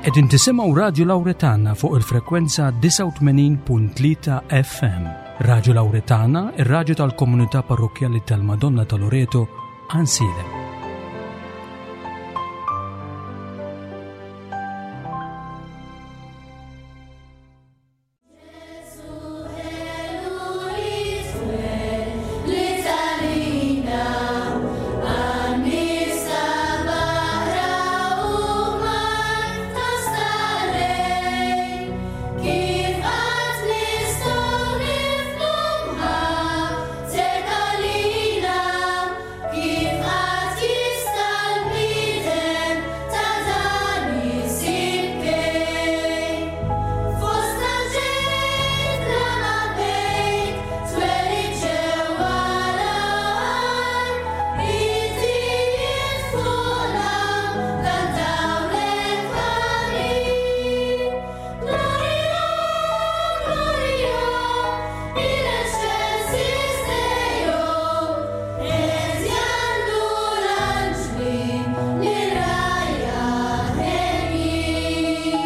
Qegħdin tisimgħu Radju Lawretana fuq il-frekwenza 89.3 FM. Radju Lawretana, ir-radju tal-komunità parrokkjali tal-Madonna ta' Loreto, Għansielem. Kif qatt jista' l-bniedem ta' dan isib kejl? Fost l-anġel bla ma bejt twelid ġewwa l-għar, id-dijiet fuqna dan dawlek ħarir. Gloria, Gloria, in excelsis Deo, qed jgħannu l-anġli lir-rgħajja henjin.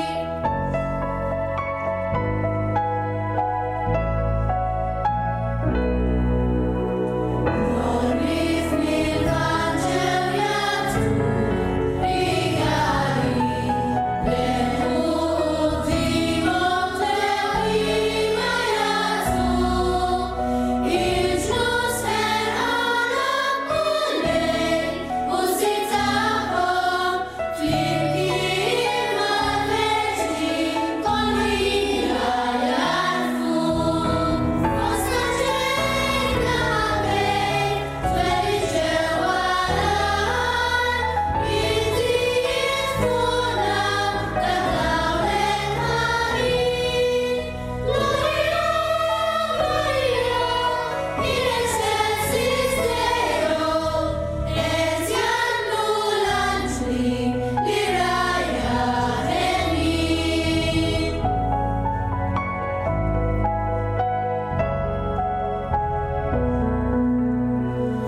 L-għorrief mill-Vanġel jagħtu rigali, leħu quddiemhom tewwima jagħtu. Il-ġnus ħerqana b'Mulej u s-Sid tagħhom, flimkien mal-verġni kollha jagħrfu. Fost l-anġel bla ħabejt twelid ġewwa l-għar, id-dijiet fuqna dan dawlek ħarir. Gloria, Gloria, in excelsis Deo, qed jgħannu l-anġli lir-rgħajja henjin.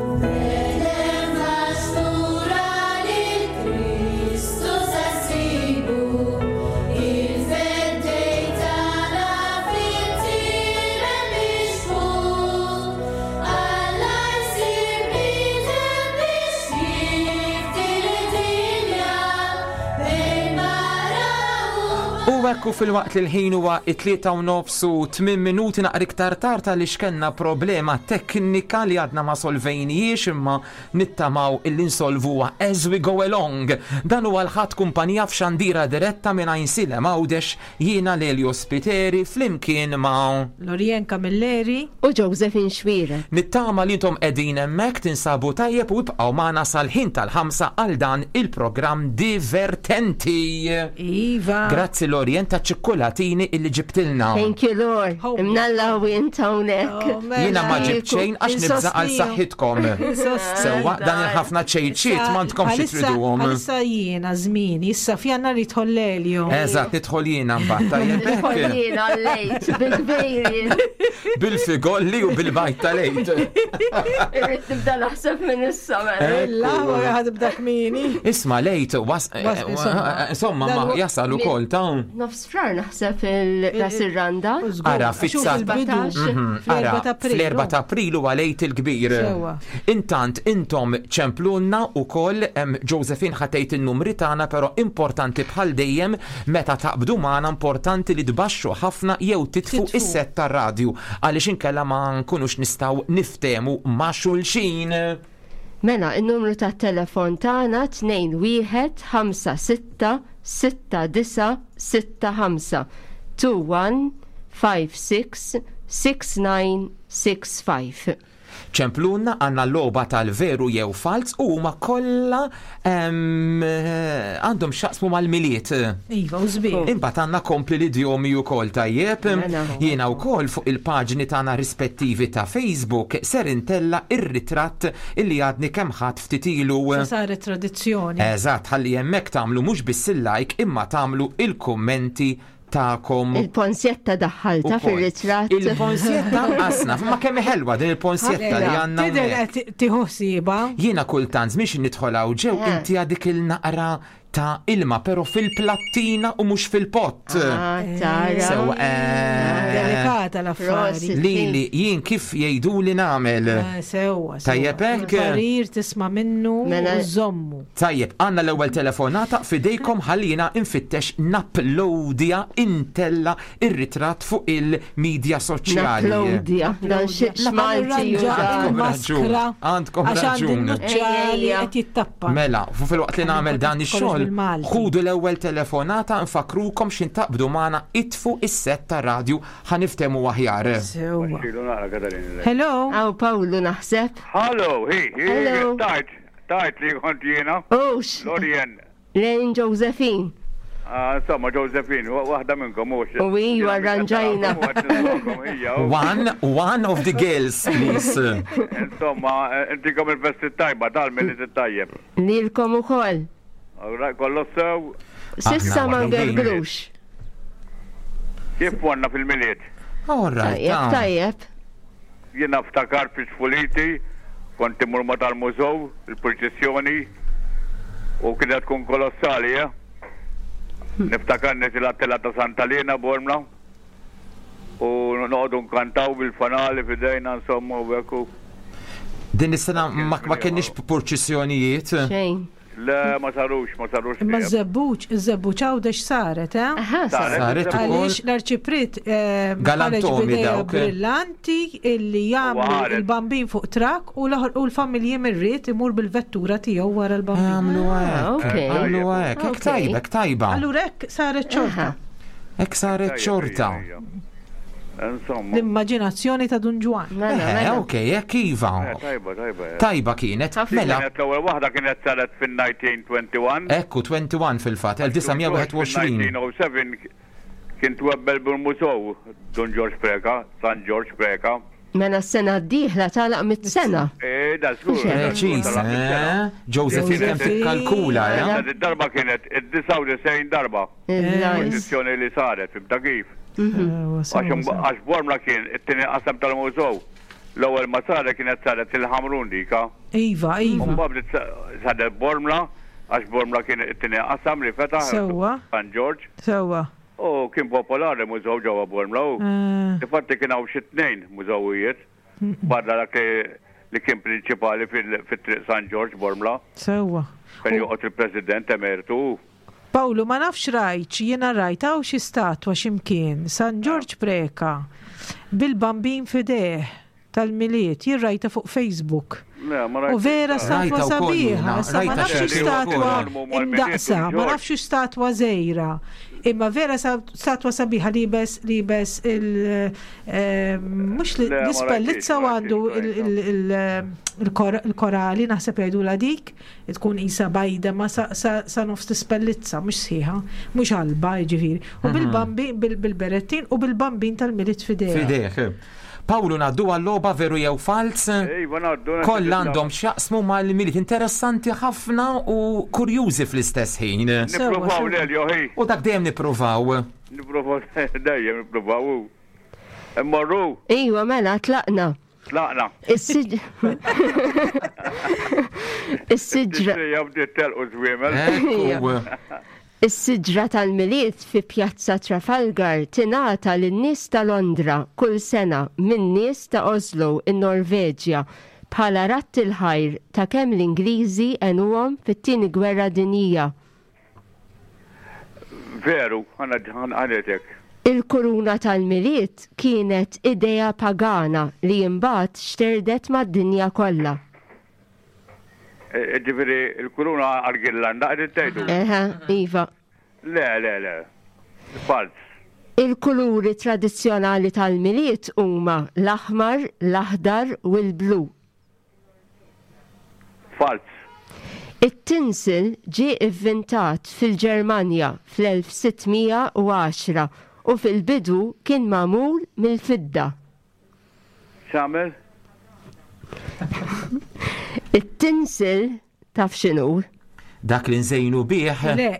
Betlem għax-xtura lil Kristu se ssibu, il-Feddej tagħna fit-tiemen mixħut. Alla jsir bniedem biex jifdi lid-dinja bejn mara u U hekk u filwaqt li l-ħin huwa it-tlieta u nofs u tmien minuti naqra iktar tard għaliex kellna problema teknika li għadna ma solvejnijiex imma nittamaw illi nsolvuha as we go along. Dan huwa l-Ħadd Kumpanija f'xandira diretta minn Għajnsielem Għawdex jiena Lelio Spiteri flimkien ma'. Lorien Camilleri. U Josephine Xuereb. Nittama li intom qegħdin hemmhekk tinsabu tajjeb u ibqgħu magħna sal-ħin tal-ħamsa għal dan il-programm divertenti. Iva. Grazzi Lorien taċ-ċikkulatini illi ġibtilna. Thank you Lord. Imnalla u int hawnhekk. Oh, mela. Jiena ma ġibt xejn għax nibża' għal saħħitkom. Sewwa dan il-ħafna ċejċiet m'għandkomx triduhom. Għalissa jiena żmieni, issa f'Jannar jidħol Lelio. Eżatt, nidħol jiena mbagħad tajjeb hekk. Nidħol jiena għal-lejt, bil-kbir jien. Bil-figolli u bil-bajt tal-għid. Irrid nibda naħseb minn issa mela. Illa, wara ħadibda kmieni. Isma' lejt, was, Was- insomma. insomma, ma jasal ukoll ta' Nofs frar naħseb il-ras ir-randa. Ara, fit-19 Mhm, Ara, fl-4 ta' April huwa lejt il-kbir. Sewwa. Intant intom ċemplulna ukoll Josephine ħa tgħid in-numri tagħna però importanti bħal dejjem meta taqbdu magħna importanti li tbaxxu ħafna jew titfu is-set tar-radju għaliex inkella ma nkunux nistgħu niftehmu ma' xulxin. Mela, in-numru tat-telefon tagħna 21 56 69 65 21 56 69 65. Ċemplulna għandna logħba tal-veru jew falz u huma kollha għandhom x'jaqsmu mal-Milied. Iva, u sbieħ. Imbagħad għandna kompli l-idjomi wkoll tajjeb. Mela. Jiena wkoll fuq il-paġni tagħna rispettivi ta' Facebook ser intella' ir-ritratt illi għadni kemm ħadt ftit ilu. Sa saret tradizzjoni. Eżatt, ħalli hemmhekk tagħmlu mhux biss il-like imma tagħmlu il-kummenti tagħkom. Il-ponsjetta daħħalta fir-ritratt. Il-ponsjetta qasna, ma kemm ħelwa din il-ponsjetta li għandna. Tidher qed tieħu ħsiebha. Jiena kultant miex nidħol hawn ġew eh. inti dik il-naqra ta' ilma, pero fil-plattina u mhux fil-pott. Ah, tara. Sewa, eh, Delikata l-affari. Prosit. Lili, jien kif jgħidu li nagħmel. Eh, Sewwa. sewwa. Tajjeb hekk? Il-parir tisma' minnu Mela- u żommu. Tajjeb, għandna l-ewwel telefonata fidejkom ħallina infittex napplowdja intella ir-ritratt fuq il-medja soċjali. Naplowdja. Dan xi x'Malti Nirranġa Għandkom il-maskra raġun, għandkom Għax għandi raġun. n-nuċċali Ejja. qed jittappa. Mela, fu fil-waqt li nagħmel dan Kollox ix-xogħol, bil-Malti. ħudu l-ewwel telefonata nfakrukom x'intaqbdu magħna itfu is-set ta' radju ħaniftemu aħjar. Sewwa. Xilu naqra Katarina. Hello? Aw Pawlu naħseb. Hello, hi, hi, Hello. tajt, tajt li kont jiena. Ux, Lorien, Lejn Josephine. Ah, insomma, Josephine, waħda minnkom, mux. U iva, arranġajna. One, one of the girls, please. Insomma, eh, intikom il-festi tajba, tal-miliet tajjeb. Lilkom ukoll. Alright, Kollu sew, Sissa Aħna ma waħdin. ngergrux. kif konna fil-miliet? All right. Tajjeb, ah. tajjeb. Jiena ftakar fi tfuliti, kont imur ma tal-mużew, il-purċissjoni, u kienet tkun kolossali, eh? Niftakar nitila tela ta' Santa Lena Bormla, u noqogħdu nkantaw bil-fanali fidejna, insomma, u hekk u- Din is-sena ma, ma kienx purċissjonijiet. Xejn. Le, ma sarux, ma sarux. Imma ż-żebbuġ, iż-żebbuġ għawdex saret, eh? Aha, Saret. Saret ukoll. Għaliex l-arċiprit eh, ħareġ Galantomi b'idea dawk. brillanti illi jagħmlu ħareġ. il-bambin fuq trak u l-oħra- u l-familji mirrit imur bil-vettura tiegħu wara l-bambin. Għamlu hekk. ok. Għamlu hekk. Hekk Ok. tajba, hekk tajba. Allura hekk saret xorta. Aha. Hekk saret Tajjeb, xorta. ija, ija. Insomma. L-immaġinazzjoni ta' Dun Ġwan. Mela, Eh, mela. ok, hekk iva. Eh, Tajba, tajba. eh. Tajba kienet. Ħafna. Mela, Kienet l-ewwel waħda kienet saret fin-1921. ekku 21 fil-fatt, 1921. Fil-1907 kien twebbel bil-mużew Dun George Preka, San George Preka. Mela s-sena d-dieħla talaq mit-sena. Eh, da żgur. Preċis, eh? Josephine kemm tikkalkula, eh? Id-darba kienet id-99 darba. Il-lajs. Kondizjoni li saret, fimta kif. Ewa, Għax sewa, sewa. għax Bormla kien it-tieni qasam tal-mużew. L-ewwel ma saret kienet saret il-Ħamrun dika. Iva, iva. Mbagħad bdiet saret Bormla, għax Bormla kien it-tieni qasam li fetaħ. Sewwa. San George. Sewa. U kien popolari mużew ġewwa Bormla u. Eh, Infatti kien hawn xi tnejn mużewijiet barra dak li- li kien prinċipali fil- fit-triq San George Bormla Sewa. fejn joqgħod il-President Emeritu. Pawlu, ma nafx rajt, jiena rajt hawn xi statwa x'imkien, San Ġorġ Preka, bil-bambin fideh tal-miliet, jien rajta fuq Facebook. Le, ma U vera statwa Rajta wkoll sabiħa, jiena, issa ma rajta nafx xi statwa wkoll. imdaqsa, ma nafx statwa żejra. Imma vera statwa sabiħa libes libes il eh, mhux Le, ma l-ispellizza rajtix, u ma għandu rajtix, il- il- il- il-kor- il-korali naħseb jgħidula dik, tkun isa bajda ma sa, sa, sa nofs l-ispellizza, mhux sħiħa, mhux qalba jiġifieri. U bil-bambin bil- bil-berettin u bil-bambin tal-miliet fidejha. Fideh. Pawlu naddu għall-logħba veru jew fals? Iva ngħaddu. Koll għandhom x'jaqsmu mal-miliet interessanti ħafna u kurjużi fl-istess ħin. Nippruvaw Sewa, sewa. lel joħi. U dak dejjem nippruvaw. Nippruvaw dejjem nippruvaw. Immorru, Iwa, mela, tlaqna. tlaqna. Is-siġ. Is-siġra. Tixtrija bdiet telqu żwiemel. Ekku. Is-siġra tal-miliet fi Pjazza Trafalgar tingħata lin-nies ta' Londra kull sena minn nies ta' Oslo in-Norveġja bħala ratt il-ħajr ta' kemm l-Ingliżi għenuhom fit-tieni gwerra dinjija. Veru, għana għanetek. Il-kuruna tal-miliet kienet idea pagana li imbagħad xterdet mad-dinja kollha. E, Ġifieri il-kuruna għal-Girlanda qed tgħidu. Eħe, iva. Le, le, le. Falz. Il-kuluri tradizzjonali tal-miliet huma l-aħmar, l-aħdar u l-blu. Falz. It-tinsil ġie ivvintat fil-Ġermanja fl-1610 u fil-bidu kien magħmul mill-fidda. X'għamel? It-tinsil taf x'inhu? Dak li nżejnu bih. Le,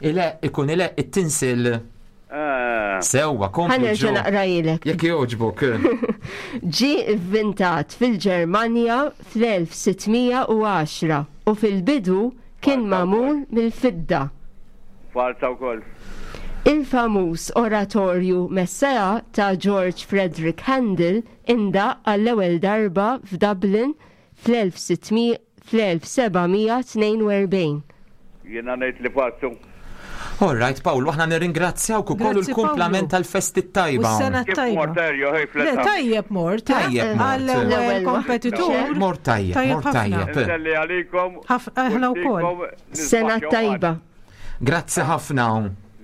Ile, ikun ile, it-tinsil. Ah, Sewwa, komplu Ħanerġa' ġo. naqrajlek. Jekk jogħġbok. Ġie ivvintat fil-Ġermanja fl-1610 u fil-bidu kien magħmul mill-fidda. Falsa wkoll. Il-famuż oratorju Messiah ta' George Frederick Handel indaqq għall-ewwel darba f'Dublin fl-1742. Jiena ngħid li falsu. All right, Paolo, aħna nirringrazzjawk ukoll Grazzi, il-kumplament Paolo. tal-festi tajba. U s-sena Kif tajba. mort Erjo, hej Le, fletta. tajjeb mort. eh? Tajjeb mort. Għall-ewwel L-ewwel kompetitur. Mort tajjeb, Tajjeb mort ħafna. tajjeb. Inselli għalikom. Aħna wkoll. Sena tajba. Grazzi ħafna.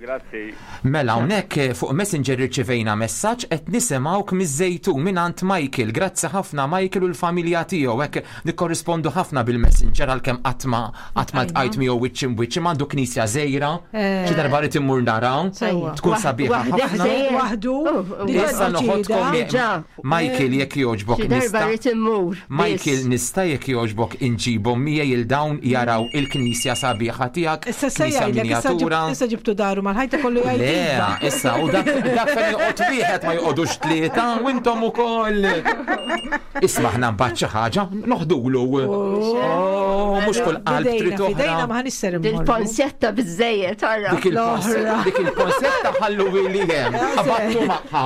Grazzi. Mela hawnhekk fuq Messenger irċivejna messaġġ qed nisimgħuk miż-Żejtun mingħand Michael. Grazzi ħafna Michael u l-familja tiegħu hekk nikkorrispondu ħafna bil-Messenger għalkemm qatt ma qatt ma ltqajt miegħu wiċċ imwiċċ imma għandu knisja żgħira. Eh. Xi darba rid immur naraw. Sewwa. Tkun sabiħa Waħdek ħafna. żejjed. Waħdu. Oh, oh. Diġà Issa noħodkom deċida. Diġà. Michael jekk jogħġbok Xi darba nista' rrid immur. Michael biss. nista' jekk jogħġbok inġibhom miegħi il dawn jaraw il-knisja sabiħa tiegħek, Issa se knisja jgħidlek, issa miniatura. ġib- issa ġibtu daru mal-ħajta kollu Le, jgħid. issa, u dak dak fejn joqgħod wieħed ma joqogħdux tlieta, u intom ukoll. Isma' aħna mbagħad xi ħaġa noħdulu. Oh, mhux kull qalb trid Fidejna oħra. ma ħanisser immorru. Dil-ponsetta biżejjed, ara. Dik il-ponsetta, L-oħra. dik il-ponsetta ħallu li hemm, qabattu magħha.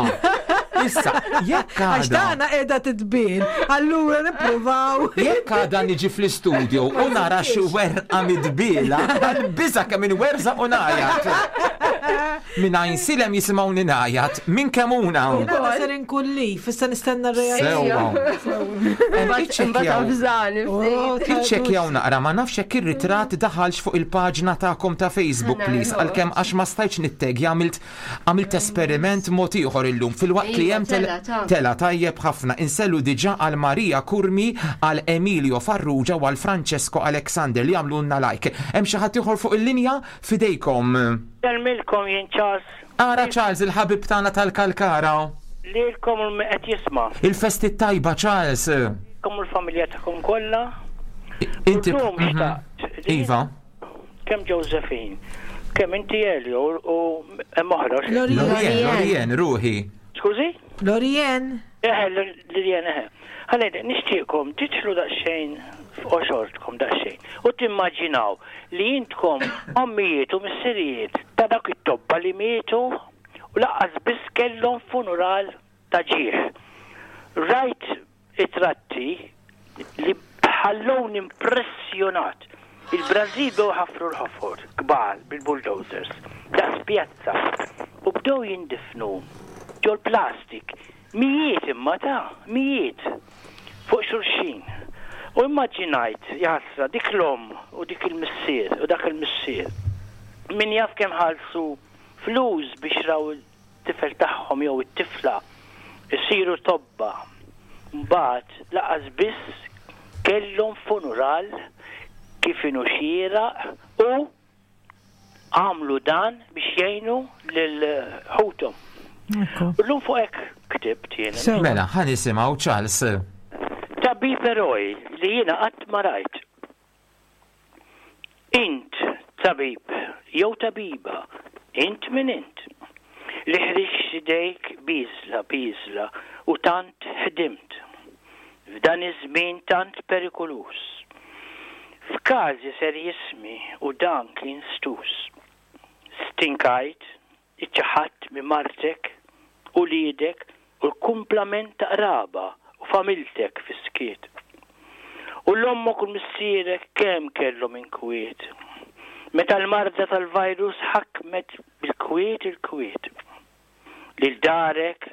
Issa, jekk Għax għada. dana qiegħda titbin, allura nippruvaw. Jekk għada niġi fl-istudio u nara xi werqa midbila, għal-biża kemm inwerża u ngħajat. Min għajnsilem jisimgħuni ngħajat, minn kemuna. Għada ser inkun li, fissa nistenna r-reazzjoni. Sewwa. Imbagħad Iċċekkjaw. avżani ftit. Iċċekkjaw naqra ma nafx jekk ir-ritratt daħalx fuq il-paġna tagħkom ta' Facebook please għalkemm għax ma stajtx nittegja għamilt għamilt esperiment mod ieħor illum filwaqt li Iva, hemm tela, ta' tela tajjeb ħafna insellu diġà għal Maria Curmi, għal Emilio Farrugia u għal Francesco Alexander li għamlulna like. Hemm xi ħadd ieħor fuq il-linja fidejkom. Selmilkom jien Charles Ara Charles il-ħabib tagħna tal-Kalkara. lilkom u min qed jisma' Il-festi tajba Charles. kom u l-familja tagħkom kollha. Inti Illum Mhm. xtaqt li Iva. Kemm Josephine, kemm inti Elio u hemm oħra. Lorien. Lorien, Lorien, ruħi. Skużi? Lorien. Eħe, Lilian, eħe. Ħalli, nixtieqkom titħlu daqsxejn f'qoxortkom daqsxejn u timmaġinaw li intkom ommijiet u missirijiet ta' dak it-tobba li mietu u laqqas biss kellhom funeral ta' ġieħ. Rajt it-tratti li ħallowni impressjonat. Il-Brażil bdew ħafru l-ħofor kbar bil-bulldozers daqs pjazza u bdew jindifnu ġol plastik mijiet imma ta' mijiet fuq xulxin. U immaġinajt jaħasra dik l-om u dik il-missier u dak il-missier. Min jaf kemm ħalsu flus biex raw it-tifel tagħhom jew it-tifla isiru tobba. Mbagħad laqas biss kellhom funeral kif inhu xieraq u għamlu dan biex jgħinu lil ħuthom. Ekku. U llum fuq hekk ktibt jiena. Sewa. Mela, ħa nisimgħu Charles. Tabib eroj li jiena qatt ma rajt. Int tabib jew tabiba, int min int. Li ħriġt idejk biżla biżla u tant ħdimt. F'dan iż-żmien tant perikoluż. F'każi serjismi u dan kien stus. Stinkajt, iċċaħatt minn martek u lidek u l-kumplament ta' qraba u familtek fis-skiet. U l-ommok u l-missierek kemm kellhom inkwiet. Meta l-marda tal-virus ħakmet bil-kwiet il-kwiet. Lil darek,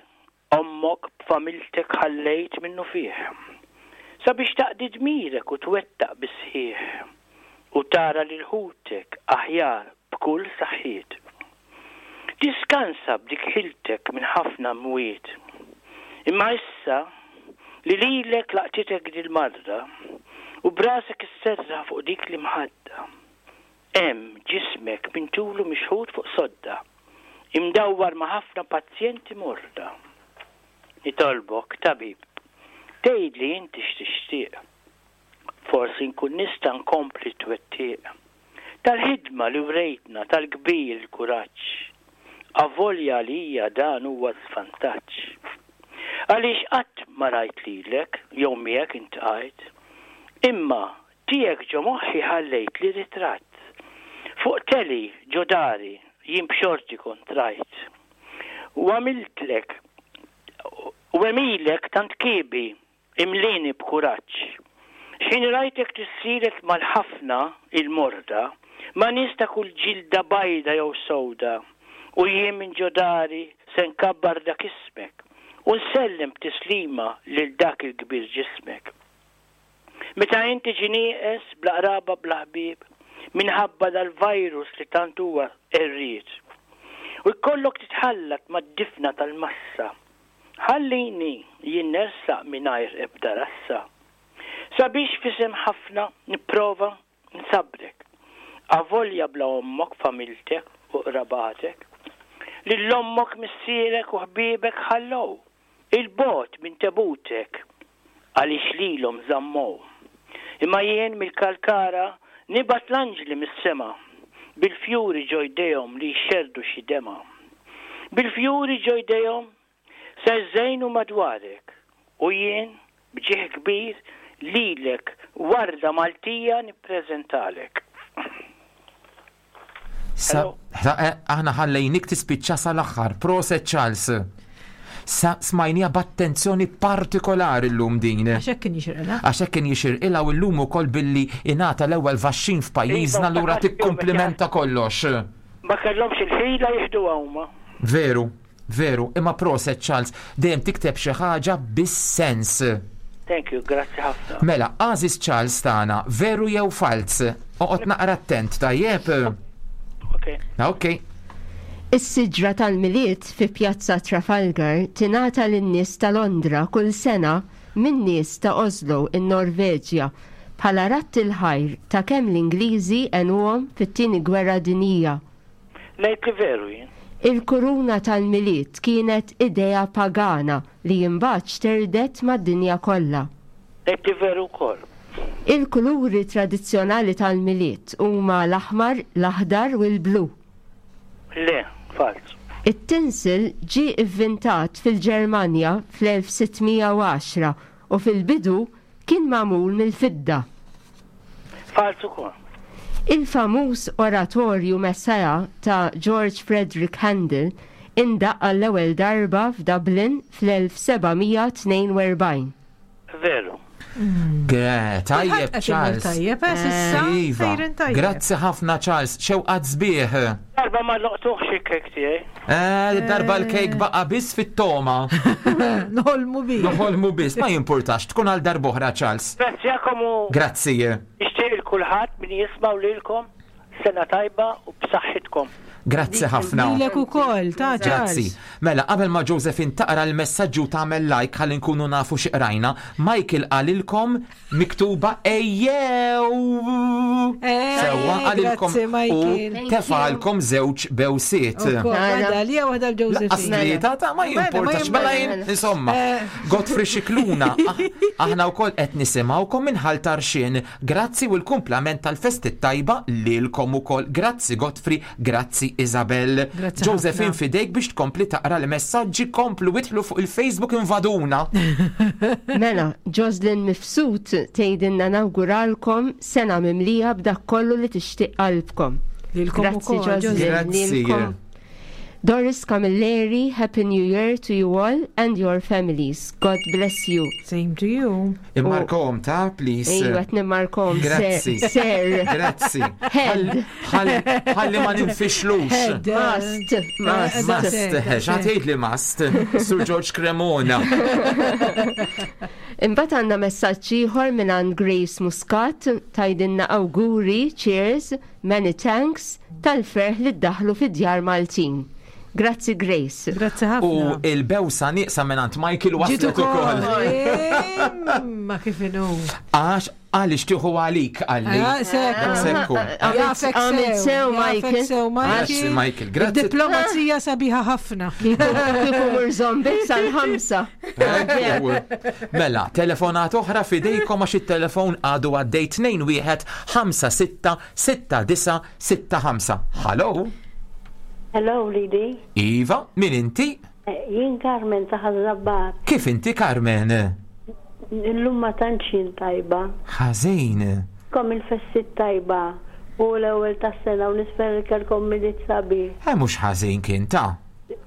ommok b'familtek ħallejt minnu fih. Sabiex taqdi dmirek u twettaq bisħieħ u tara lil ħutek aħjar b'kull saħħiet. Tiskansa b'dik ħiltek minn ħafna mwiet. Imma issa li lilek laqtitek dil-marra u brasek isserra fuq dik li mħadda. Hemm ġismek minn tulu mixħut fuq sodda, imdawwar ma' ħafna pazjenti morda. Nitolbok, tabib, tgħidli inti x'tixtieq. Forsi nkun nista' nkompli twettiq. Tal-ħidma li wrejtna tal-kbir il-kuraġġ. Avolja għalija dan huwa svantaġġ. Għaliex qatt ma rajt lilek jew miegħek intqajt, imma tiegħek ġo moħħi ħallejt li ritratt. Fuq teli ġo dari jien b'xorti kont rajt. U għamiltlek u għemilek tant kiebi imlieni b'kuraġġ. X'ħin rajtek tissielet mal-ħafna il-morda, ma' nies ta' kull ġilda bajda jew sewda, u jien minn ġo dari se nkabbar dak ismek u nsellem b'tislima lil dak il-kbir ġismek. Meta int tiġi nieqes, bla qraba bla ħbieb, minħabba dal-virus li tant huwa qerried, u jkollok titħallat mad-difna tal-massa, ħallini jien nersaq mingħajr ebda rassa, sabiex f'isem ħafna nipprova nsabbrek, avolja bla ommok, familtek u qrabatek, lil ommok, missierek u ħbiebek ħallew. 'Il bogħod minn tebutek għaliex lilhom żammow. Imma jien mill-Kalkara nibgħat l-anġli mis-sema bil-fjuri ġo jdejhom li jxerrdu xi demgħa. Bil-fjuri ġo jdejhom se jżejnu madwarek u jien b'ġieħ kbir lilek warda Maltija nippreżentalek. Sa, eh, aħna ħallejnik tispiċċa sal-aħħar. Proset Charles. Sa smajnija b'attenzjoni partikolari llum din. Għax hekk kien jixirqilha. Għax hekk kien jixirqilha u llum ukoll billi ingħata l-ewwel vaxxin f'pajjiżna Iva, lura ftakart tikkumplimenta kollox. Ma kellhomx il-ħila jieħduha huma. Veru. Veru, imma proset Charles, dejjem tikteb xi ħaġa bis-sens. Thank you, grazzi ħafna. Mela, għażiż Charles tagħna, veru jew falz? Oqgħod naqra attent, tajjeb? Ok. Ok. Is-siġra tal-Milied fi Pjazza Trafalgar tingħata lin-nies ta' Londra kull sena min-nies ta' Oslo, in-Norveġja, bħala radd il-ħajr ta' kemm l-Ingliżi għenuhom fit-Tieni Gwerra Dinjija. Ngħid li veru jien. Il-kuruna tal-Milied kienet idea pagana li imbagħad xterdet mad-dinja kollha. Ngħid li veru wkoll. Il-kuluri tradizzjonali tal-Milied huma l-aħmar, l-aħdar u l-blu. Le, falz. It-tinsel ġie ivvintat fil-Ġermanja fl-1610 u fil-bidu kien magħmul mill-fidda. Falz ukoll. Il-famuż oratorju Messiah ta' George Frederick Handel indaqq għall-ewwel darba f'Dublin fl-1742. Veru. Tajjeb, Charles. Tajjeb, eh, s'issa. Iva. Sejrin tajjeb. Grazzi ħafna, Charles. Xewqat sbieħ. Darba ma loqtuħx il-kek tiegħi. Eh, darba l-kejk baqa biss fit-toma. Noħolmu bi. Noħolmu biss, ma jimpurtax, tkun għal darboħra, Charles. Grazzi u Grazzi. nixtieq il kulħadd min jisma' lilkom sena tajba u b'saħħitkom. Grazzi ħafna. Lilek ukoll, ta' Grazzi. Charles. Mela, qabel ma Josephine taqra l-messaġġu tagħmel like ħalli nkunu nafu xi qrajna, Michael qalilkom miktuba ejjew. Eh, Sewwa qalilkom grazzi, u Michael. Thank tefalkom żewġ bewsiet. Ukoll, Waħda li waħda Laqqas l-Josephine. tlieta ta' ma Mela, ma jimportax mela jien jimportax. insomma. Eh. Godfrey Xikluna, aħna wkoll qed nisimgħukom minn Ħal Tarxien. Grazzi u l-kumplament tal-festi tajba lilkom ukoll. Grazzi Godfrey, grazzi Isabel. Grazzi Josephine ħafna. fidejk biex tkompli taqra l-messaġġi komplu idħlu fuq il-Facebook invaduna. Mela, Joslin Mifsud tgħidilna nawguralkom sena mimlija b'dak kollu li tixtieq qalbkom. Lilkom Grazzi ukoll, Joslin. Joslin. Grazzi. Lilkom. Doris Camilleri, Happy New Year to you all and your families. God bless you. Same to you. Immarkom ta' please. Ejwa, qed nimmarkom. Grazzi. Sir. Grazzi. Head. Ħalli ma ninfixlux. Head. Must. Must. Must, xatejt li must, Sur George Cremona. Imbagħad għandna messaġġ ieħor mingħand Grace Muscat tgħidilna awguri, cheers, many thanks tal-ferħ li ddaħlu fid-djar Maltin. Grazzi Grace. Grazzi U ħafna. il-bewsa nieqsa mingħand Michael Ġiet waslet ukoll. Ma kif inhu. Għax għaliex tieħu għalik għalli. Ah, sekku. Sekku. Jafek Għamilt sew, jafek Michael. sew, Grazzi Michael, grazzi. Diplomazija sabiħa ħafna. Kieku mur zombi sal-ħamsa. Mela, telefonat oħra fidejkom għax it-telefon għadu għaddej 21 5 6 6 9 6 5. Hello? Hello, Lidi. Iva, min inti? Eh, Jien Carmen ta' Ħaż-Żabbar. Kif inti Carmen? Illum ma tantx jien tajba. Ħażin. Kom il-festi tajba U l-ewwel tas-sena u nispera li kellkom Milied sabiħ. Eh mhux ħażin kien ta.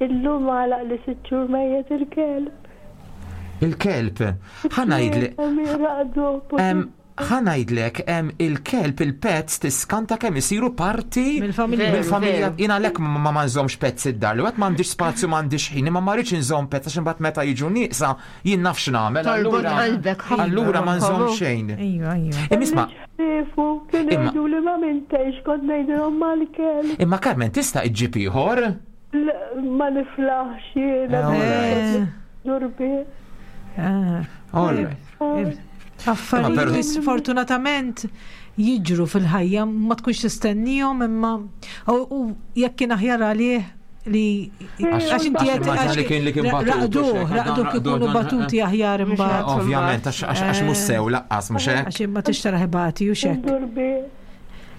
Illum għalaq li sitt xhur mejjet il-kelb. Il-kelb. Ħa ngħidlek. Ħa ngħidlek, il-kelb, il-pets tiskanta kemm isiru parti Mill-familja. mill-familja. Jien għalhekk ma ma nżommx pets id-dar. Li għad m'għandix spazju, m'għandix ħin, imma ma rridx inżomm pets għax imbagħad meta jiġu nieqsa jien naf x'nagħmel. Torbot Allura qalbek ħafna. allura ma nżomm xejn. Ejwa, ejwa. Imma isma' Ħriefu, kienu Imma- jgħidu li ma mintejx, kont ngħidilhom mal-kelb. imma Carmen tista' iġġib ieħor? Ma niflaħx jiena. Eh, all right. Eh, Durbi. eh. All right. Imma Affarijiet però- li sfortunatament jiġru fil-ħajja ma tkunx tistennihom imma u u jekk kien aħjar għalih li Għax- inti għax qed- immaġina li kien- li kien batut u raqduh, xek, raqduh dan raqdu, ikunu dan- batuti aħjar imbagħad. Ovvjament, għax għax għax mhux sew laqqas mhux hekk. Għax imma tixtara ħibati u xek. Durbi.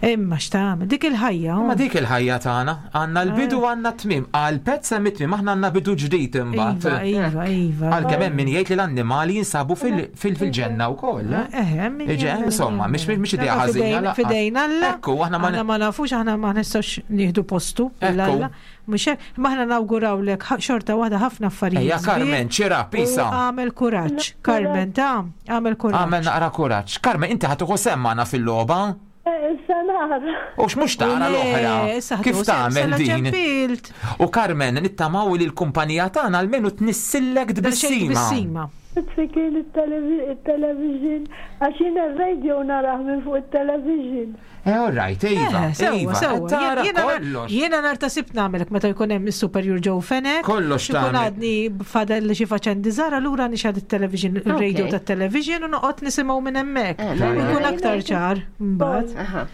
Imma x'tagħmel dik il-ħajja. Ma dik il-ħajja tagħna, għandna l-bidu għandna t-tmiem, għal pets hemm it-tmiem, aħna għandna bidu ġdid imbagħad. Iva, iva, iva. Għalkemm hemm min jgħid li l-annimali jinsabu fil-ġenna wkoll. Eh, min Iġe, jemmen, insomma, mhix mhix idea Dak ħażina. fidejn- lanqas. Fidejn Alla. Ekku, aħna ma Aħna ma nafux, aħna ma nistgħux nieħdu postu. Ekku. Alla. Mhux hekk, ma aħna nawgurawlek xorta waħda ħafna affarijiet. Ejja, Carmen, sbieħ ċira, pisa. U għamel kuraġġ. Carmen, ta' għamel kuraġġ. Għamel naqra kuraġġ. Carmen, inti ħa tieħu sehem magħna fil-logħba? Issa nara. U x'mhux tara Le, l-oħra? issa ħadu Kif sehem, tagħmel sala din? ċempilt. U Carmen, nittamaw li l-kumpanija tagħna almenu tnissillek Daqsxejn tbissima. tbissima. Tfi kien il-television, għax jiena r-radio narah minn fuq il-television. Eh, all right, iva, Eh, Sewwa, iva. sewwa. Tara Jiena- kollox. Jiena nar ta' sibt nagħmelek meta jkun hemm is-Superior Joe Fenech. Kollox Ikun tagħmel. għadni fadal xi faċendi żgħar allura nixgħad it-television, il-radio Ok. tat-television u noqgħod nisimgħu minn hemmhekk. Eh, mela. Ikun aktar ċar mbagħad. Aha.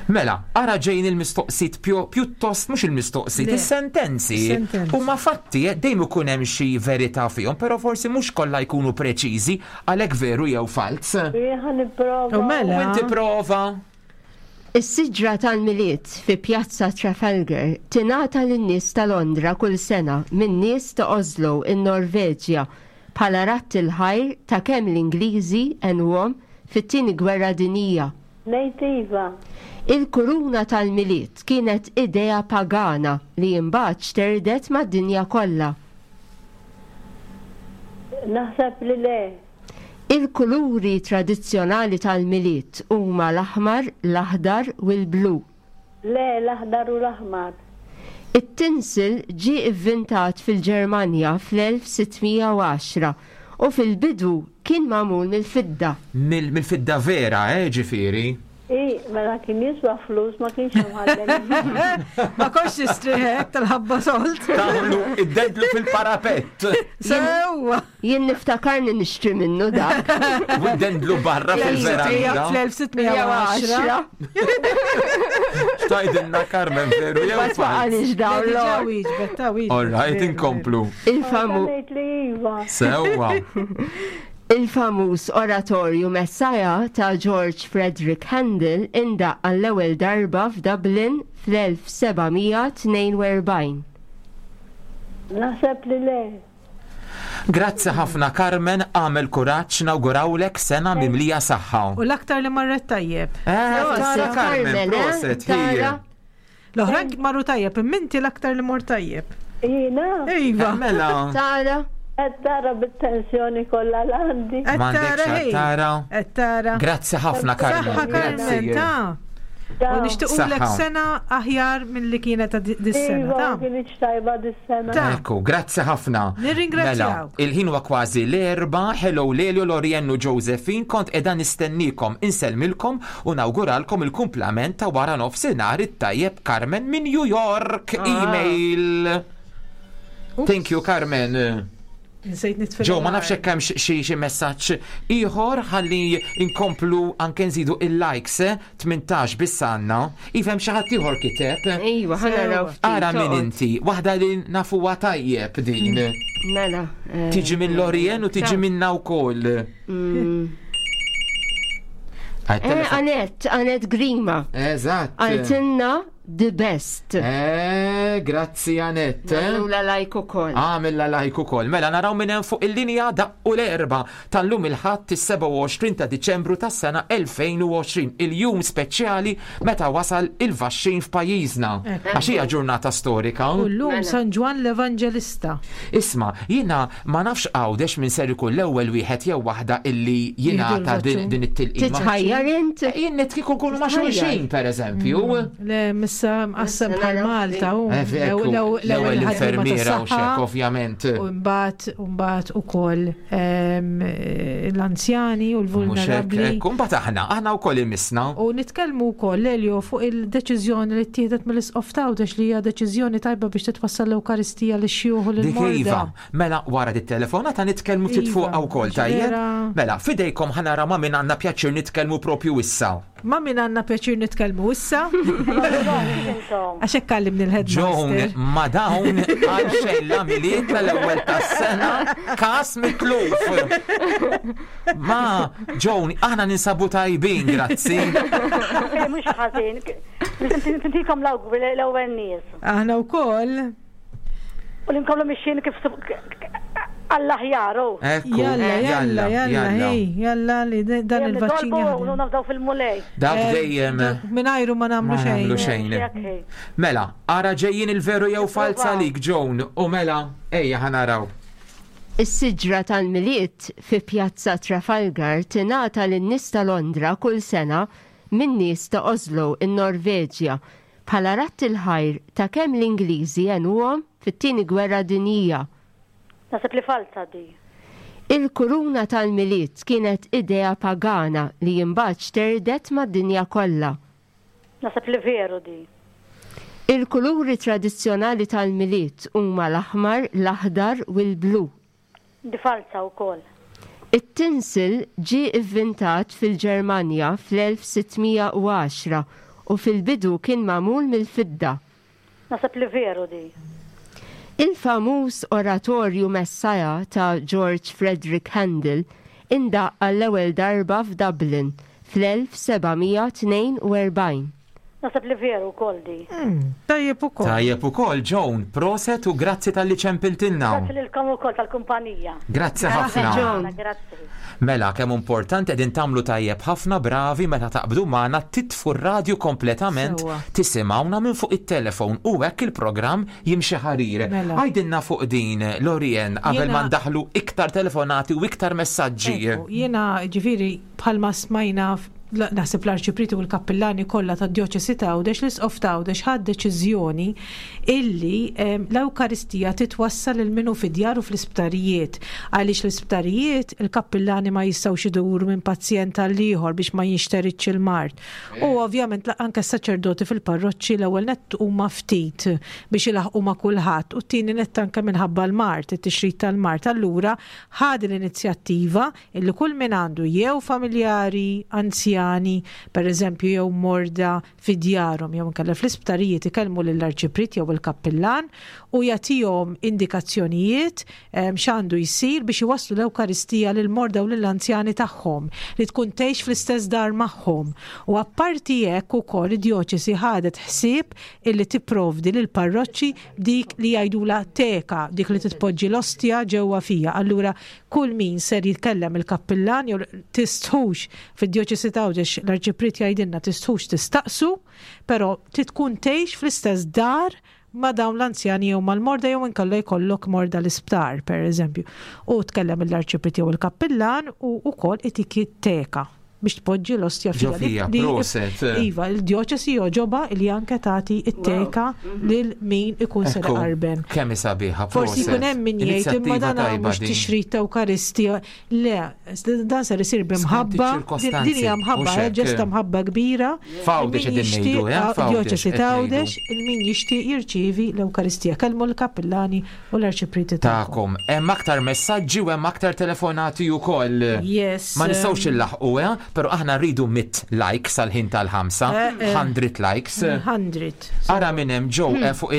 Mela, ara ġejn il-mistoqsit pjuttost mhux il-mistoqsit, Le. is-sentenzi. Sentenzi. Huma fatti eh, dejjem ikun hemm xi verità fihom, però forsi mhux kollha jkunu preċiżi għalhekk veru jew falz. Jien nipprova. U mela. U inti prova. Is-siġra tal-Milied fi Pjazza Trafalgar tingħata lin-nies ta' Londra kull sena minn nies ta' Oslo in-Norveġja bħala ratt il-ħajr ta' kemm l-Ingliżi għenuhom fit-tieni gwerra dinjija. Ngħid iva. Il-kuruna tal-Milied kienet idea pagana li imbagħad xterdet mad-dinja kollha. Naħseb li le. Il-kuluri tradizzjonali tal-Milied huma l-aħmar, l-aħdar u l-blu. Le, l-aħdar u l-aħmar. It-tinsil ġie ivvintat fil-Ġermanja fl-1610 u fil-bidu kien magħmul mill-fidda. Mill-fidda vera, eh, ġifieri. I, mela kien jiswa flus, ma kienx imħallel. Ma kontx tistrieħek tal-ħabba solt. Tagħmlu id-dendlu fil-parapett Sewwa. Jien niftakarni nixtri minnu dak. u id-dendlu barra fil-veranda. Fl-1610. Xtajdilna Carmen veru jew Ma falz. twaqalix dawn Diġà l-or. wieġbet, ta' wieġbet. All right, Veru, inkomplu. Il-famu Ngħid li iva. Sewwa. Il-famuż oratorju Messiah ta' George Frederick Handel indaq għall-ewwel darba f'Dublin fl-1742. Naħseb li le. Grazzi ħafna Carmen, għamel kuraġġ nawgurawlek sena mimlija saħħa. U l-aktar li marret tajjeb. Eh, tara Proset, Carmen, Carmen, eh? proset, Tara. hija. L-oħrajn marru tajjeb, imma inti l-aktar li mor tajjeb. Jiena, Iva. Mela, Tara, qed tara bit-tensjoni kollha l-għandi. Qed m'għandekx tara, ej. tara. Qed tara. Grazzi ħafna Carmen. Saħħa Carmen, Grazzi. ta' U nixtiequlek Saħħa. sena aħjar milli kienet ta' dis-sena. Iva, Ta' ma kienx tajba dis-sena. Ta' Ekku, grazzi ħafna. Nirringrazzjaw. Mela, il-ħin huwa kważi l-erba, hello Lelio, Loriennu, Josephine, kont edha nistennikom, insellmilkom u nawguralkom il-kumplament ta' wara nofsinhar it-tajjeb Carmen minn New York. Email. Thank you, Carmen. Nsejt nitfel. Ġo, ma nafx hekk hemm xi xi messaġġ ieħor ħalli inkomplu anke nżidu il-likes, eh? 18 biss għandna. Ifhem xi ħadd ieħor kiteb. Iva, ħa naraw ftit. Ara min toqgħod. inti, waħda li nafuha tajjeb din. Mela. eh, Tiġi minn Lorien u tiġi minna wkoll. Eh, Anet, Anet Grima. Eżatt. Għaltinna the best. Eh, grazzi Anette. Nagħmlula like ukoll. Għamilla like ukoll. Mela naraw minn hemm fuq il-linja daqqu l-erba tal-lum il-Ħadd is-27 ta' Diċembru tas-sena 2020, il-jum speċjali meta wasal il-vaxxin f'pajjiżna. Għax hija ġurnata storika. U llum Mela. San Ġwann l-Evanġelista. Isma, jiena ma nafx Għawdex min ser ikun l-ewwel wieħed jew waħda illi jingħata din l-vaċċin. din it-tilqima. Titħajjar int? Jien nitkiku nkunu ma' Titħajjar. xulxin, per eżempju. Le, missa mqassam Missa bħal naraw Malta. u Eh, ekku, L-ewwel ħaddiema infermiera u xek, tas-saħħa, ovvjament. U mbagħad u mbagħad ukoll l-anzjani u Mhux hekk, l-vulnerabbli. ekku, mbagħad aħna, aħna wkoll imisna. U nitkellmu wkoll Elio fuq il-deċiżjoni li ttieħdet mill-Isqof t'Għawdex li hija deċiżjoni tajba biex titwassal l-Ewkaristija lix-xjuħ u Dik lill-morda. iva, mela wara dit telefonata nitkellmu ftit Iva, fuqha wkoll tajjeb. vera. Mela, fidejkom ħanara ma' min għandna pjaċir nitkellmu propju issa. Ma' min għandna pjaċir nitkellmu issa Intom. għax hekk kallimni Joan, l-headmaster. ma dawn għal xejn la miliet tal-ewwel tas-sena kas mitluf. Ma, Joan, aħna ninsabu tajbin, grazzi. Eh, Mhux ħażin. Nintikom l-awguri l-ewwel nies. Aħna wkoll U li nkomplu mixjin kif għall-aħjar u. Ekku, jalla jalla jalla hey, jalla li dan Dejjem il-vaċċin nitolbu u jaħdem. nafdaw fil-mulej. Dak Eh, dejjem. dak Mingħajru ma nagħmlu Ma nagħmlu xejn. xejn. Jekk hi. Mela, ara ġejjin il-veru jew falsa lik, Joan, u mela, ejja ħanaraw. Is-siġra tal-Milied fi Pjazza Trafalgar tingħata lin-nies ta' Londra kull sena min nies ta' Oslo in-Norveġja bħala ratt il-ħajr ta' kemm l-Ingliżi għenuhom fit-Tieni Gwerra Dinjija. Naħseb li falsa di. Il-kuruna tal-Milied kienet idea pagana li imbagħad xterdet mad-dinja kollha. Naħseb li veru di. Il-kuluri tradizzjonali tal-Milied huma l-aħmar, l-aħdar u l-blu. Di falsa wkoll. It-tinsil ġie ivvintat fil-Ġermanja fl-1610 u fil-bidu kien magħmul mill-fidda. Naħseb li veru di. Il-famuż oratorju Messiah ta' George Frederick Handel indaq għall-ewwel darba f'Dublin fl-1742. Naħseb li veru wkoll di. Tajjeb ukoll. Tajjeb ukoll, Joan, proset u grazzi tal-li ċempiltilna. Grazzi lilkom ukoll tal-kumpanija. Grazzi ħafna. Joan. Grazzi. Mela, kemm importanti qegħdin tagħmlu tajjeb ħafna bravi meta taqbdu magħna titfu r-radju kompletament, Sewwa. tisimgħuna minn fuq it-telefon u hekk il-programm jimxi ħarir. Mela. Għajdilna fuq din, Lorien, qabel Jiena- ma ndaħlu iktar telefonati u iktar messaġġi. Ekku, Jiena ġifiri bħalma smajna naħseb l-arċipriti u l-kappillani kollha tad-djoċesi ta' Għawdex l-isqof ta' Għawdex ħad deċiżjoni illi l-Ewkaristija titwassal lil minnu fid-djar u fl-isptarijiet. Għaliex l-isptarijiet il-kappillani ma jistgħux iduru minn pazjent għal ieħor biex ma jinxteritx il-mard. U ovvjament anke s-saċerdoti fil-parroċċi l-ewwel nett huma ftit biex ilaħqu ma' kulħadd u t-tieni nett anke minħabba l-mard, it-tixrid tal-mard. Allura ħad l-inizjattiva illi kull min għandu jew familjari, anzjani, per eżempju jew morda fi djarhom jew inkella fl-isptarijiet ikellmu lill-arċiprit jew il-kappillan u jagħtihom indikazzjonijiet x'għandu jsir biex iwasslu l-Ewkaristija lil morda u lill-anzjani tagħhom li tkun tgħix fl-istess dar magħhom. U apparti hekk ukoll id-djoċesi ħadet ħsieb illi tipprovdi lil parroċċi dik li jgħidula teka, dik li titpoġġi l-ostja ġewwa fija. Allura kull min ser jitkellem il-kappillan jew tistħux fid-djoċesi ta' Għawdex l-arċiprit jgħidilna tistħux tistaqsu, però titkun tgħix fl-istess dar ma' dawn l-anzjani jew mal-morda jew inkella jkollok morda l-isptar, per eżempju. U tkellem l-arċiprit jew il-kappillan u wkoll itiki teka biex tpoġġi l-ostja Ġo fija. fija, Li- proset. Iva, il-djoċesi joġoba li anke tagħti it-teka lil min ikun ser Ekku, qarben. Kemm hi sabiħa, Forsi proset. jkun hemm min jgħid imma Inizjattiva dan tajba mhux din. tixrid ta' Ewkaristija. Le, dan ser isir b'imħabba. Skont iċ-ċirkostanzi, Din hija mħabba, mhux hekk. ġesta mħabba kbira. F'Għawdex Min qegħdin ngħidu, jixtieq- eh, ah, f'Għawdex Djoċesi qed ta' ngħidu. Għawdex, il-min jixtieq jirċievi l-Ewkaristija. Kellmu l-kappillani u l-arċipriti tagħkom. Ta'kom, hemm aktar messaġġi u hemm aktar telefonati wkoll. Yes. Ma nistgħux illaħqu, eh? Però aħna rridu mit likes għal ħin tal-ħamsa, Eh, eh. 100 likes. 100. Ara minn hemm ġew fuq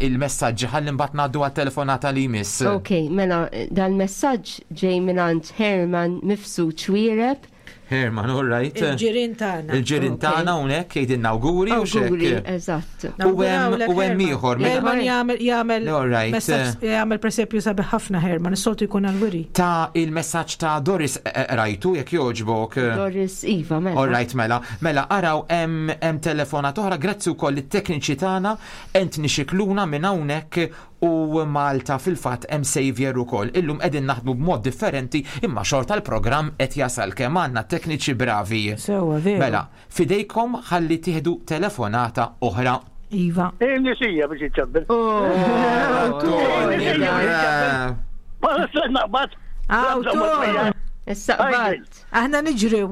il-messaġġi ħalli mbagħad ngħaddu għat-telefonata li jmiss. Ok, mela dal-messaġġ ġej mingħand Herman Mifsud Xwiereb. Herman, all right. Il-ġirien tagħna. Il-ġirien tagħna hawnhekk jgħidilna awguri u Awguri, xek. eżatt. U hemm u hemm ieħor minn Herman jagħmel jagħmel All right. messaġġ- jagħmel presepju sabiħ ħafna Herman, is-soltu jkun għal-wiri. ta' il-messaġġ ta' Doris rajtu jekk jogħġbok. Doris Iva, mela. All right, mela. Mela, araw hemm hemm telefonat oħra, grazzi wkoll it-tekniċi tagħna Anthony Xikluna minn hawnhekk u Malta fil-fatt hemm Xavier ukoll. Illum qegħdin naħdmu b'mod differenti imma xorta l-programm qed jasal kemm għandna tekniċi bravi. Sewwa, veru. Mela, fidejkom ħalli tieħdu telefonata oħra. Iva. Il-nisija biex iċċabbel. Oh, Tony, eh. Ma nistax naqbad. Aw, Tony. Issa qbad. Aħna niġru.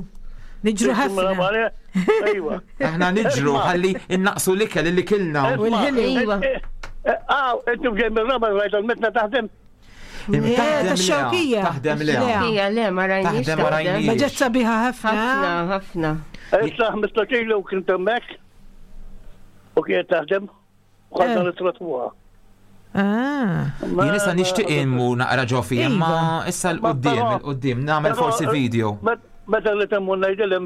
Niġru ħafna. Ejwa. Aħna niġru ħalli innaqsu l-ikel li kilna. U l-ħili. Iva. Aw, intom ġej mir-raba rajt għal-metna taħdem. Eh, Taħdem ta' leha, xewkija. Taħdem leha. Leha. Hija le, ma rajniex. Taħdem ma rajniex. Ma ġet sabiħa Ħafna, ħafna. ħafna. Issa 15 ilu kien hemmhekk. U kienet taħdem. U ħadna l-trotmuha. Ah. Jien issa nixtieq immu naqra ġofi, imma issa l-qoddim, il-qoddim, nagħmel forsi video. Meta li temmu ngħidilhom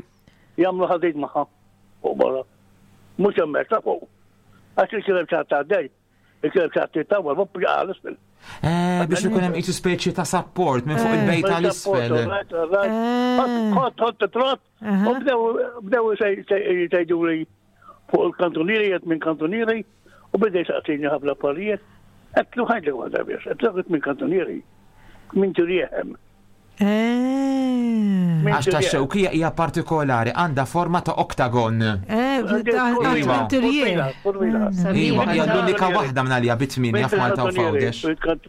jagħmlu ħadid magħha fuq barra. Mhux hemmhekk ta' fuq. Għax il-kilem ċatt għaddej. Il-kilem ċatt tawwal, ma bqa' l-isfel. Eh, biex ikun hemm qisu speċi ta' support minn fuq il-bejt tal-isfel. Ħott, ħott, trott, u bdew jgħidu li fuq il-kantunieri, jgħid minn kantunieri, u bdew jsaqsini ħafna affarijiet. Għedtlu ħajdlek waħda biss, għedtlu minn kantunieri, minn tirieħem. Eh. Għax ta' xewkija hija partikolari, għandha forma ta' oktagon. Eh, Iva. iva. Iva, hija l-unika waħda minn għalija bit-tminja f'Malta u f'Għawdex.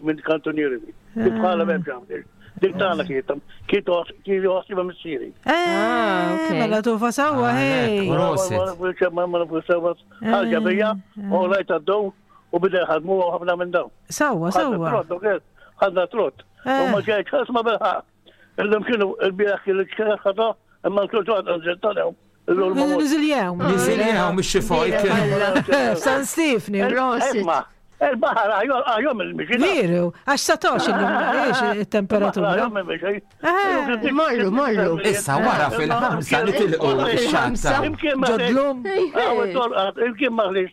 Minn kantunieri. Dik bħala m'hemmx għamil. Dik tagħna kienet kienet joħsiba missieri. Eh, ok. mela tufa sawa, hej. Prosit. Ħarġa bija, u rajt għaddew u bida jħadmu ħafna minn dawn. Sawa, sawa. Ħadna trott. U ma ġejt ħasma bilħaq. Illum kienu il-bieraħ kienu ċkera imma l-kultur għadżettanew. Niziljew. Niżiljew mhix xi fojk. San Stefni. Prosit. Il-baħar għajom il-mixi. Veru, għax satox illum, iex il-temperatura. Eh, Morru, morru. Issa wara fil-ħamsa nitilqu x-xatta. Ġodlum. Imkien maħlix.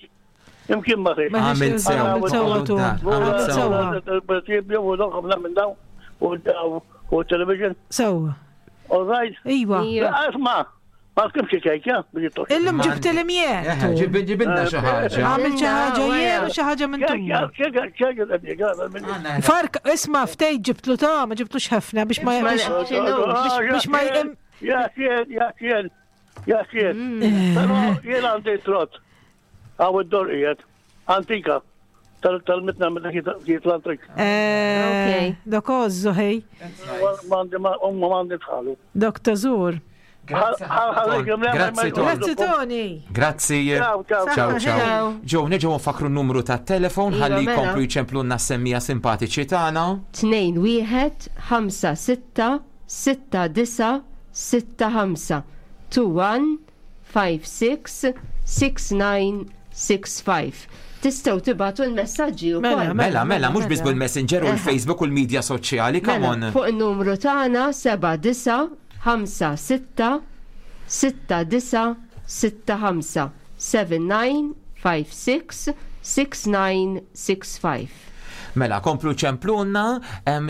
Imkien maħlix. Għamilt sew, Għamilt sew, għamilt dar, għamilt sew. U television. Sawa. All right. Iva. Iva. Asma, ma tkimx kejkja biex jittox. Illum ġibt Eh, l-imjien. Ġibilna xi ħaġa. Għamil xi ħaġa jien u xi ħaġa minn tumma. Fark, isma' ftejt ġibtlu ta' ma ġibtlux ħafna biex ma Ma biex biex ma jqim. Ja, xien, ja, xien, ja, xien. Pero jien għandi trott. Għaw id-dor qiegħed. Antika. Tal-mitna meta kiet l-antrik. Eh, Ok. Dok ożżu ħej, Mandi ma għandi tħalu. dok tażur. Grazzi Grazzi Tony. Grazzi Tony. Grazzi. Ciao, ciao. Ciao, ciao. Ciao. Ġew, neġgħu nfakru n-numru ta' telefon Iva, ħalli mela. jkomplu jċemplunna semmija simpatiċi tagħna. 2 1 5 6 6 9 6 5 2 1 5 6 6 9 6 5 Tistgħu tibatu l-messaġġi Mela, wkoll. Mela, mela, mhux biss bil-Messenger u l-Facebook u l-medja soċjali, come Mela, on. fuq il-numru tagħna 7 9 5 6 6 9 6 5 7 9 5 6 6 9 6 5. Mela, komplu ċemplunna,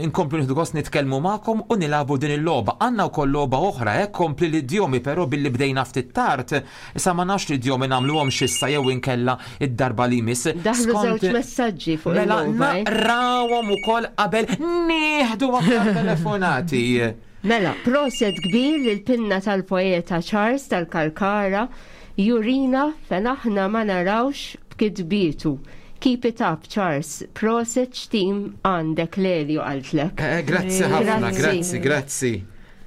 inkomplu nieħdu gost nitkellmu magħkom u nilabu din il-logħba. Għandna wkoll logħba oħra, eh, kompli l-idjomi, però billi bdejna ftit tard, issa ma nafx l-idjomi nagħmluhom xissa jew inkella id-darba li jmiss. Daħlu Skont- żewġ messaġġi fuq Mela, il-logħba. eh? naqrawhom ukoll qabel nieħdu aktar telefonati. Mela, proset kbir lil pinna tal-poeta Charles tal-Kalkara jurina fejn aħna ma narawx b'kitbietu. Keep it up, Charles. Proset xtim għandek Lelio qaltlek. Eh, Grazzi ħafna, Grazzi. grazzi, grazzi.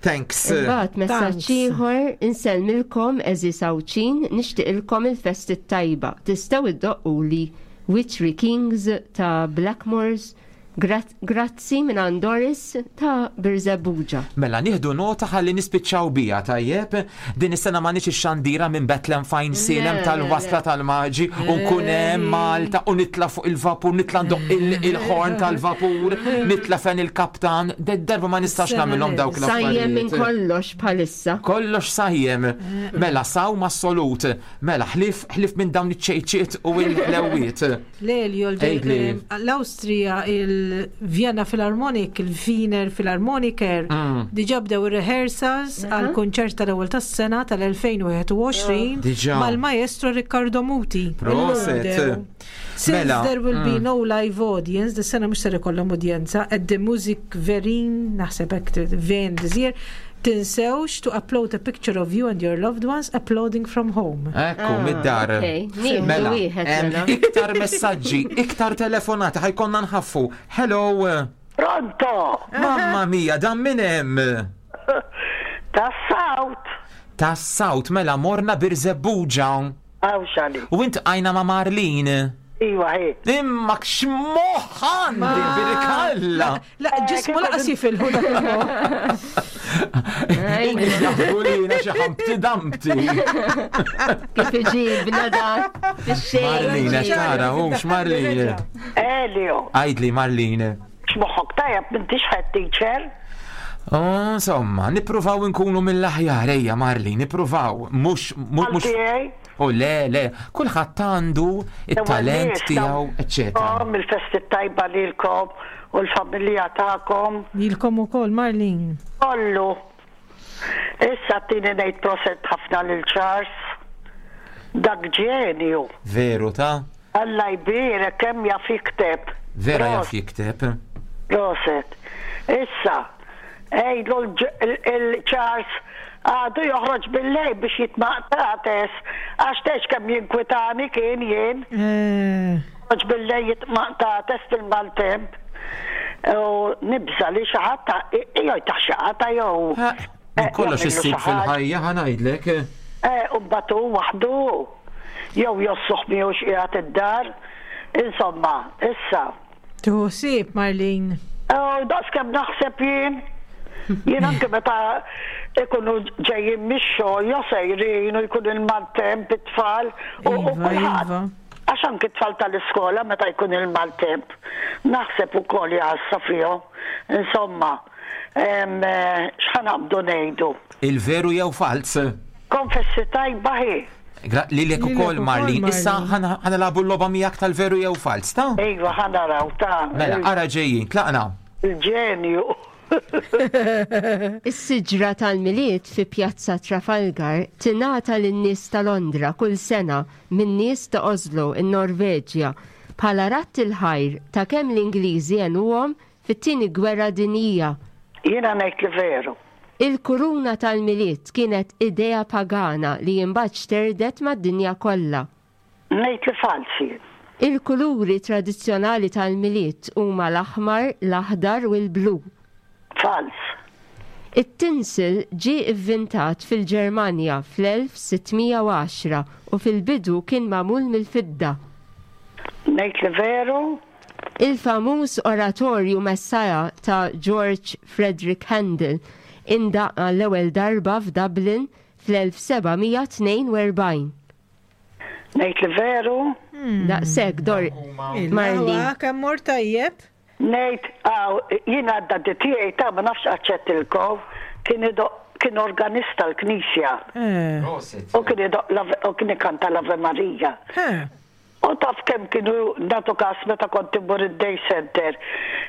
Thanks. Imbagħad messaġġ Thanks. ieħor insellmilkom eżis Awċin nixtieqilkom il-festi tajba. Tistgħu iddoqquli Witchery Kings ta' Blackmores Grazzi minn Doris ta' Birżebbuġa. Mela nieħdu nota ħalli nispiċċaw bija, tajjeb? Din is-sena m'għandniex ix-xandira minn Bethlehem fajn Silem tal-wasla tal-maġi u nkun hemm Malta u nitla' fuq il-vapur, nitla' ndoqq il-ħorn tal-vapur, nitla' fejn il-kaptan. Darba ma nistax nagħmilhom dawk l-affarijiet. Sajjem minn kollox bħalissa. Kollox sajjem. Mela sawm assolut. Mela ħlief ħlief minn dawn iċ-ċejċiet u l-ħlewwiet. Lelio, l-Awstrija, il-Vienna Philharmonic, il-Wiener Philharmoniker, mm. diġa bdew ir-rehearsals għal kunċert tal-ewwel tas-sena tal-2021 mal-maestro Riccardo Muti. Proset. Since mela, there will be mm. no live audience, dis-sena mhux ser ikollhom udjenza, at the Music Verin, naħseb hekk Ven this year, Tinsewx to upload a picture of you and your loved ones uploading from home. Ekku, ah, mid-dar. Mela, mela. iktar messaġġi, iktar telefonati, ħajkonna nħaffu. Hello. Pronto. Mamma mia, dan minn hemm? Tas-South. Tas-South, mela morna Birżebbuġa. Għawxali. U int għajna ma' Marlene. Iwa, hi. Imma x'moħħ għandi birikalla. La, ġismu laqas jifilħu dak il-moħħ. Jaħbu li jina xi ħampti dampti. Kif iġibna dak fix-xejn. Marlene, tara, hux Marlene. Elio. Għajdli Marlene. X'moħħok tajjeb m'intix head teacher? Oh, insomma, nippruvaw nkunu mill-aħjar, ejja Marlene, nippruvaw, mhux mhux U le, le, kulħadd għandu it-talent tiegħu, eċċetera. Il-festi tajba lilkom u l-familja tagħkom. Lilkom ukoll, Marlene. Kollu. Issa tini ngħid proset ħafna lil Charles. Dak ġenju. Veru ta'? Alla jbierek kemm jaf jikteb. Vera jaf jikteb. Proset. Issa, għidlu l-Charles għadu joħroġ bil-lejl biex jitmaqtates għax tgħidx kemm jinkwitani kien jien. Joħroġ bil-lejl jitmaqtates fil-maltemp. U nibża' li xi ħadd jew jtaħ xi qatgħa jew. Minn kollox issib fil-ħajja ħa ngħidlek. Eh, u mbagħad hu waħdu jew jossuh miegħu x'qiegħed id-dar. Insomma, issa. Tieħu ħsieb, Marlene. Oh, daqs kemm naħseb jien. Jien anke meta ikunu ġejjin mix-xogħol jew sejrin u jkun il-maltemp it-tfal u iva, kulħadd. Iva. Għax anke t-tfal tal-iskola meta jkun il-maltemp naħseb ukoll jgħassa fihom. Insomma, eh, x'ħanaqbdu ngħidu? Il-veru jew falz? Konfessi tajba hi. Lilek ukoll Marlin. Issa ħanilagħbu l-logħba miegħek tal-veru jew falz, ta? Iva, ħanaraw ta. Mela, ara ġejjin, tlaqna. Il-ġenju. Is-siġra tal-Milied fi Pjazza Trafalgar tingħata lin-nies ta' Londra kull sena min-nies ta' Oslo, in-Norveġja, bħala radd il-ħajr ta' kemm l-Ingliżi għenuhom fit-Tieni Gwerra Dinjija. Jiena ngħid li veru. Il-kuruna tal-Milied kienet idea pagana li imbagħad xterdet mad-dinja kollha. Ngħid li falz jien. Il-kuluri tradizzjonali tal-Milied huma l-aħmar, l-aħdar u l-blu. Falz. It-tinsel ġie vvintat fil-Ġermanja fl-1610 u fil-bidu kien magħmul mill-fidda. Ngħid li veru. Il-famuż oratorju Messiah ta' George Frederick Handel indaqq għall-ewwel darba f'Dublin fl-1742. Ngħid li veru? Daqshekk, Dor. Marlene. Kemm mort tajjeb? Ngħid, aw, jiena d-daddy tiegħi ta' ma nafx aċċettilkom, kien idoqq kien organist tal-knisja. U kien idoqq u kien ikanta l-Ave Maria. U taf kemm kienu nagħtu kas meta kont immur id-day center.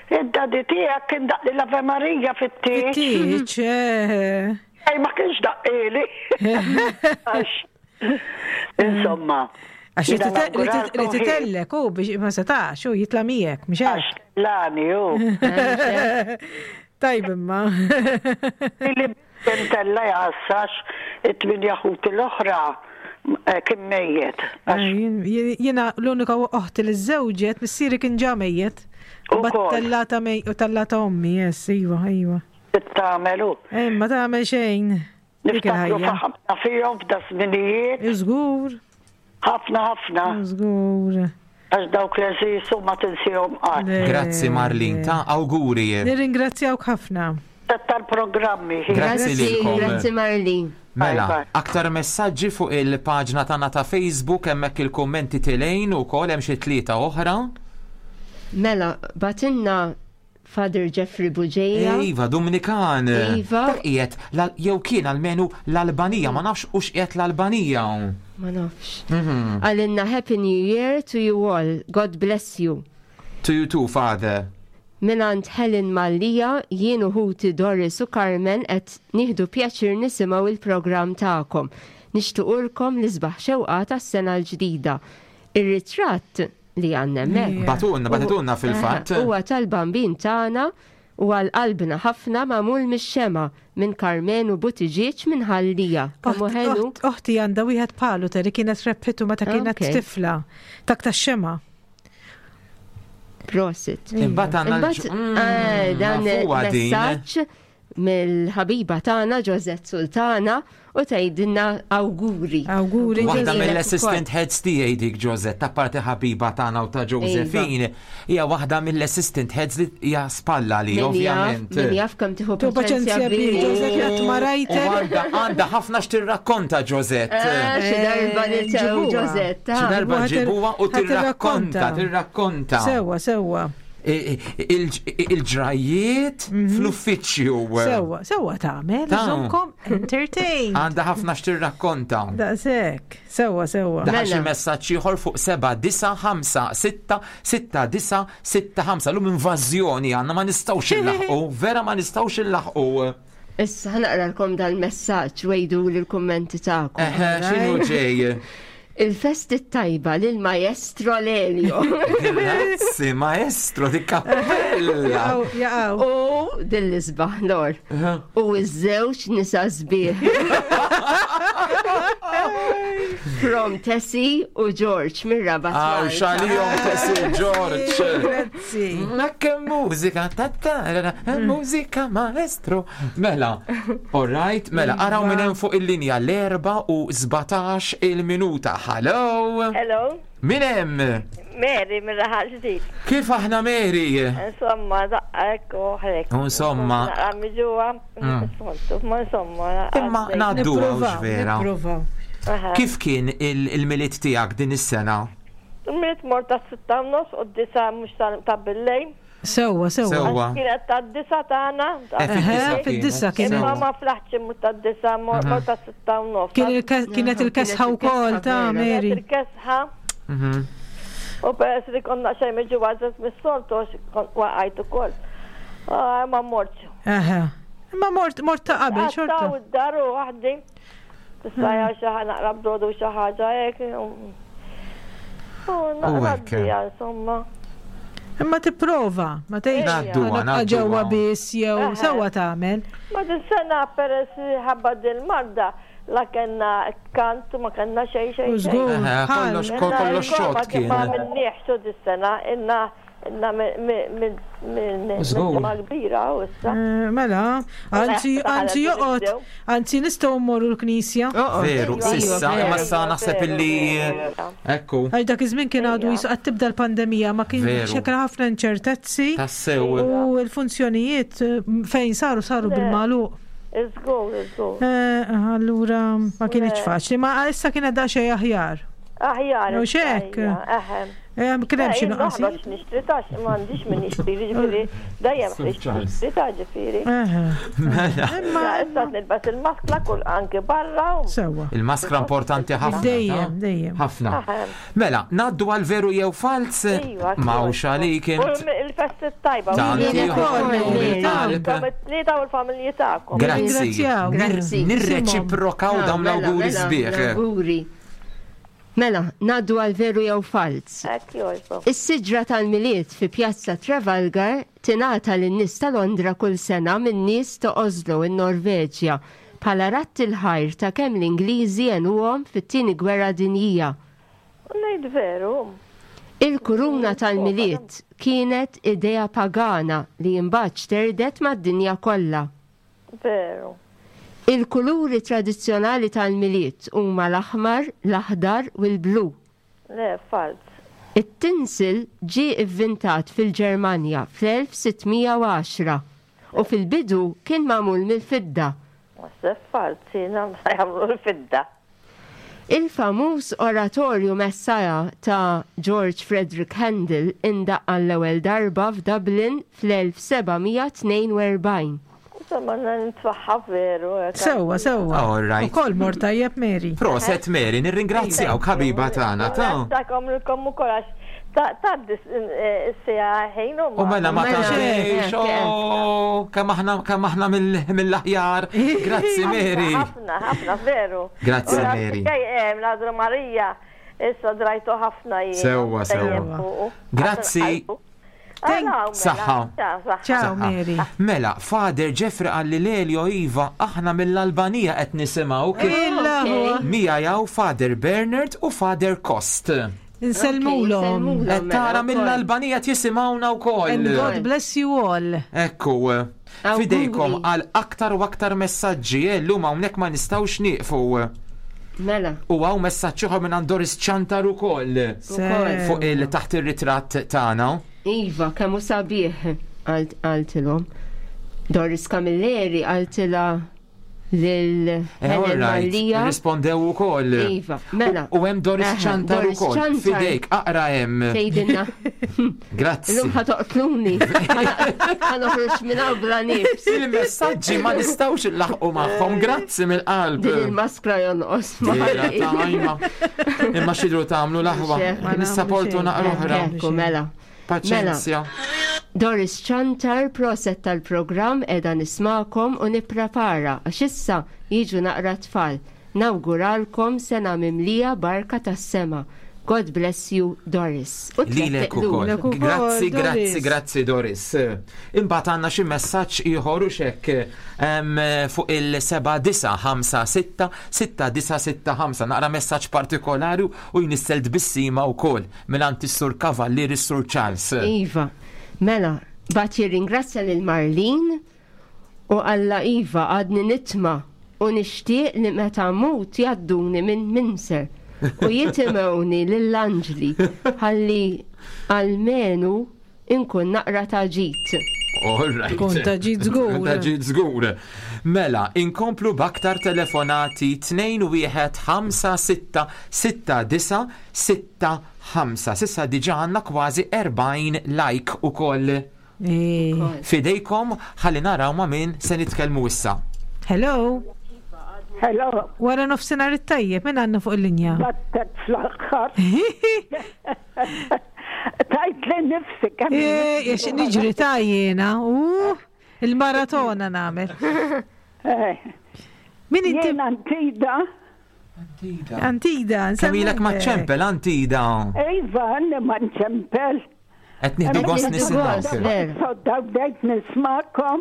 Id-daddy tiegħek kien daqqli l-Ave Maria fit-tieġ. Fit-tieġ, eh. Ej, ma kienx daqqili. Għax, insomma. Għax li titellek u biex ma setax u jitla miegħek, mhux hekk. Għax lani u. Tajb imma. Li Intella jgħassax it-tminja ħuti l-oħra kien mejjet. Jiena l-unika oħti li żżewġet, missieri kien ġa mejjet. U tellata mej u tellata ommi, yes, iva, iva. Tagħmel hu. Eh, ma tagħmel xejn. Niftakru ħafna fihom f'da żminijiet. Żgur. Ħafna ħafna. Żgur. Għax dawk l-għeżież u ma tinsihom qatt. Grazzi Marlin, ta' awguri. Nirringrazzjawk ħafna. Tal-programmi. Grazzi lilkom. Grazzi Marlin. Mela, aktar messaġġi fuq il-paġna tagħna ta' Facebook hemmhekk il-kummenti tilejn ukoll hemm xi tlieta oħra. Mela, batinna Father Jeffrey Bugeja. Iva, Dumnikan. Iva. Dak qiegħed jew kien almenu l-Albanija, ma nafx hux qiegħed l-Albanija. Ma nafx. Mhm. Għalinna Happy New Year to you all. God bless you. To you too, Father. Minant Helen Mallia, jien u ħuti Doris u Carmen qed nieħdu pjaċir nisimgħu il-programm tagħkom. Nixtuqulkom l-isbaħ xewqa tas-sena l-ġdida. Ir-ritratt li għandna hemmhekk. Batunna, bagħtitulna fil-fatt. Huwa tal-bambin tagħna u għal qalbna ħafna magħmul mix-xema minn Karmenu Buttigieg minn Ħal Lija. Kemm hu ħelu. Oħti għandha wieħed bħalu Terry kienet rebħitu meta kienet tifla. Tak tax-xema. Prosit. Imbagħad għandna Imbagħad, eh, dan nafuha din. messaġġ mill-ħabiba tagħna Josette Sultana u tgħidilna awguri. Awguri. Waħda mill-assistant heads tiegħi dik Josette, ta' parti ħabiba tagħna u ta' Josephine, hija waħda mill-assistant heads li hija spalla li ovvjament. Min jaf kemm tieħu Tu paċenzja paċenzja bi. bi, Josette qatt ma U rajtek. għandha għandha ħafna x'tirrakkonta Josette. Eh, Xi darba niltaqgħu Ġibuha. Josette. Xi darba Ħa tir- ġibuha u ħa tirrakkonta, tirrakkonta. tirrakkonta. Sewwa, sewwa. I- i- Il-ġrajiet fl-uffiċċju. Sewwa, sewwa tagħmel, Ta' iżomkom entertain. Għandha ħafna x'tirrakkonta. Daqshekk. Sewwa, sewwa. Daħal xi Mela. messaġġ ieħor fuq 7 9 5 6 6 9 6 5 Lum invażjoni għandna ma nistgħux illaħqu, vera ma nistgħux illaħqu. Issa ħanaqralkom dal-messaġġ wejdu l-kummenti tagħkom. Eħe, x'inhu ġej? Il-festi tajba lil maestro Lelio. Grazzi, maestro di kappella. Jaqgħu, jaqgħu. U dill-isbaħ lor. U iż-żewġ nisa sbieħ. From Tessie u George mir-Rabat. Għaw, Malta. xalijom Tessie George. Grazzi. Ma che mużika, ta ta ra, ra, mużika maestro. Mela, all right, mela, araw minn hemm fuq il-linja l-4 u 17 il-minuta. Hello! Hello, Min hemm? Mary minn raħal ġdid. Kif aħna Mary? Insomma, daqqa u ħrek. Insomma. Naqra miġuwa, ma insomma. Imma ngħaddu Nipprovaw, vera. nipprovaw. Kif kien il- il-miliet tiegħek din is-sena? Miet mort ta' sitta u nofs u d-disa mux ta' billejn. Sewwa, sewwa. Sewwa. Kienet ta' d-disa tagħna. Eh, Eħe, fid-disa fid-disa kienet. kienet. Imma ma flaħċ imur ta' d-disa, mort ta' sitta u nofs. Kien il-ke- Kienet il-kesħa wkoll ta' Kienet Mary. il-kesħa. Mhm. U peress li konna xejn miġuwa ġas mis-soltu kont waqajt ukoll. Ah, Ma mortx. Eħe. Imma mort mort ta' qabel Għattaw xorta. id-dar u waħdi. Tista' xi ħa naqra brodu xi ħaġa hekk. U U naqra hekk. d-dija, insomma. Imma tipprova, ma tgħidx Ngħadduha, "Ħa nibqa' ngħadduha." ġewwa biss jew Eħe. sewwa tagħmel. Ma din sena peress li ħabba din marda la kellna kant u ma kellna xejn xejn. U xejn. żgur. Eħe, kollox bħal. kollox xott kien. Ma minniex dis-sena inna inna minn Żgur. ġimgħa kbira u issa. Eh, Mela, anzi, Taħala anzi joqgħod, nibdew. anzi nistgħu mmorru l-knisja. Veru, Iva, sissa, veru, imma sa naħseb veru, illi. veru. Ekku, Għax dak iż-żmien kien għadu jisu qed tibda l-pandemija ma kien Veru. xekra ħafna inċertezzi tassew. u l-funzjonijiet eh, fejn saru saru Le. bil-magħluq. Iżgur, iżgur. Eh, Allura ma kienx Le. faċli, ma issa kienet daqsxejn aħjar. Aħjar. U issa xek. hija, Eħe. Eh, Kien hemm xi Jien nuqqasijiet. noħroġ nixtri tax, m'għandix min nixtri, ġifieri dejjem Sir ħriġt Charles. nixtri ta' ġifieri. Eħe. Mela, Imma Issa nilbas il-maskla kull anke barra. u- sewwa. il-maskra importanti ħafna. Dejjem, dejjem. Ħafna. Eħe. Mela, naddu għal veru jew fals? Iva, Ma hux għalik U int. il-festi tajba. Tanti Lilek ukoll, ukoll, mill-qalb. Intom it-tlieta u l-familji tagħkom. Grazzi. Ringrazzjaw. Grazzi. Nirreċiprokaw Ah, dawn mela, l-awguri mela, sbieħ. L-awguri. Mela, naddu għal veru jew fals. Hekk jogħġbok. Is-siġra tal-Milied fi Pjazza Trafalgar tingħata lin-nies ta' Londra kull sena minn nies ta' Oslo in-Norveġja bħala ratt il-ħajr ta' kemm l-Ingliżi għenuhom fit-tieni gwerra dinjija. Ngħid veru. Il-kuruna tal-Milied kienet idea pagana li imbagħad xterdet mad-dinja kollha. Veru. Il-kuluri tradizzjonali tal-Milied huma l-aħmar, l-aħdar u l-blu. Le, fals. It-tinsel ġie ivvintat fil-Ġermanja fl-1610 u fil-bidu kien magħmul mill-fidda. Naħseb falzi, jagħmlu l-fidda. Il-famuż oratorju Messiah ta' George Frederick Handel indaqq għall-ewwel darba f'Dublin fl-1742. Insomma, nitfaħħa veru. Sewwa, sewwa. All right. Ukoll mor tajjeb Mary. Proset Mary, nirringrazzjawk ħabiba tagħna ta' Takom lilkom ukoll għax tgħaddi s-siegħa ħin u U mela ma Mela. tgħaddix, oh, kemm aħna kemm aħna mill-aħjar. Grazzi Mary. Ħafna, ħafna, veru. Grazzi, Mary. L-Adru Marija, issa drajtu ħafna jien. Sewwa, sewwa. Grazzi. Saħħa. Ciao Mary. Mela, Father Jeffrey qalli Lelio Iva, aħna mill-Albanija qed nisimgħu kif Illa huwa. Mija jaw Father Bernard u Father Kost. Insellmulhom. Qed tara mill-Albanija qed jisimgħuna wkoll. And God bless you all. Ekku, fidejkom għal aktar u aktar messaġġi, eh, llum hawnhekk ma nistgħux nieqfu. Mela. U hawn messaġġ ieħor minn Doris Ċantar ukoll. Fuq il taħt ir-ritratt tagħna. Iva, kemm hu sabiħ qaltilhom. Doris Camilleri qaltilha lil Eh, Helen all right, Mallia. rispondew ukoll. Iva, mela. U hemm Doris Eħe, Ċantar Doris ukoll. Ċantar. Fidejk, aqra hemm. Tgħidilna. Grazzi. Illum ħa toqtluni. Ħa noħroġ minn hawn bla nifs. Il-messaġġi ma nistgħux nlaħqu magħhom, grazzi mill-qalb. Din il-maskra jonqos. Dira tajma. Imma xidru tagħmlu l-aħwa. Ma Nissaportu naqra oħra. Ekku, mela. Paċenzja. Doris Ċantar, proset tal-programm edha nismakom u nipprepara għax issa jiġu naqra tfal. Nawguralkom sena mimlija barka tas-sema. God bless you, Doris. U Lilek ukoll. Grazzi, grazzi, grazzi Doris. Imbagħad għandna xi messaġġ ieħor u xekk em, fuq il-7956 6965 naqra messaġġ partikolari u jnissel tbissima wkoll mingħand is-Sur Kavallier is-Sur Charles. Iva, mela, bat jirringrazzja lil Marlin u Alla Iva għadni nitma u nixtieq li meta mmut jadduni minn Minser u jitimewni lill-anġli ħalli almenu inkun naqra ta' ġid. All right. Tkun ta' ġid żgur. Tkun ta' ġid żgur. Mela, inkomplu b'aktar telefonati 2 1 5 6 6 9 6 5. Sissa diġa għandna kważi 40 like ukoll. Fidejkom ħalli naraw ma' min se nitkellmu issa. Hello. Hello. Wara nofsinhar it-tajjeb, min għandna fuq il-linja? Battek fl-aħħar. Tajt li nifsi kemm. Ix niġri ta' jiena, u il-maratona nagħmel. Min inti? Jien Antida. Antida, Kemm ilek ma ċempel Antida? Iva, għanni ma nċempel. Qed nieħdu gost nisimgħu. Sodda bdejt nismakom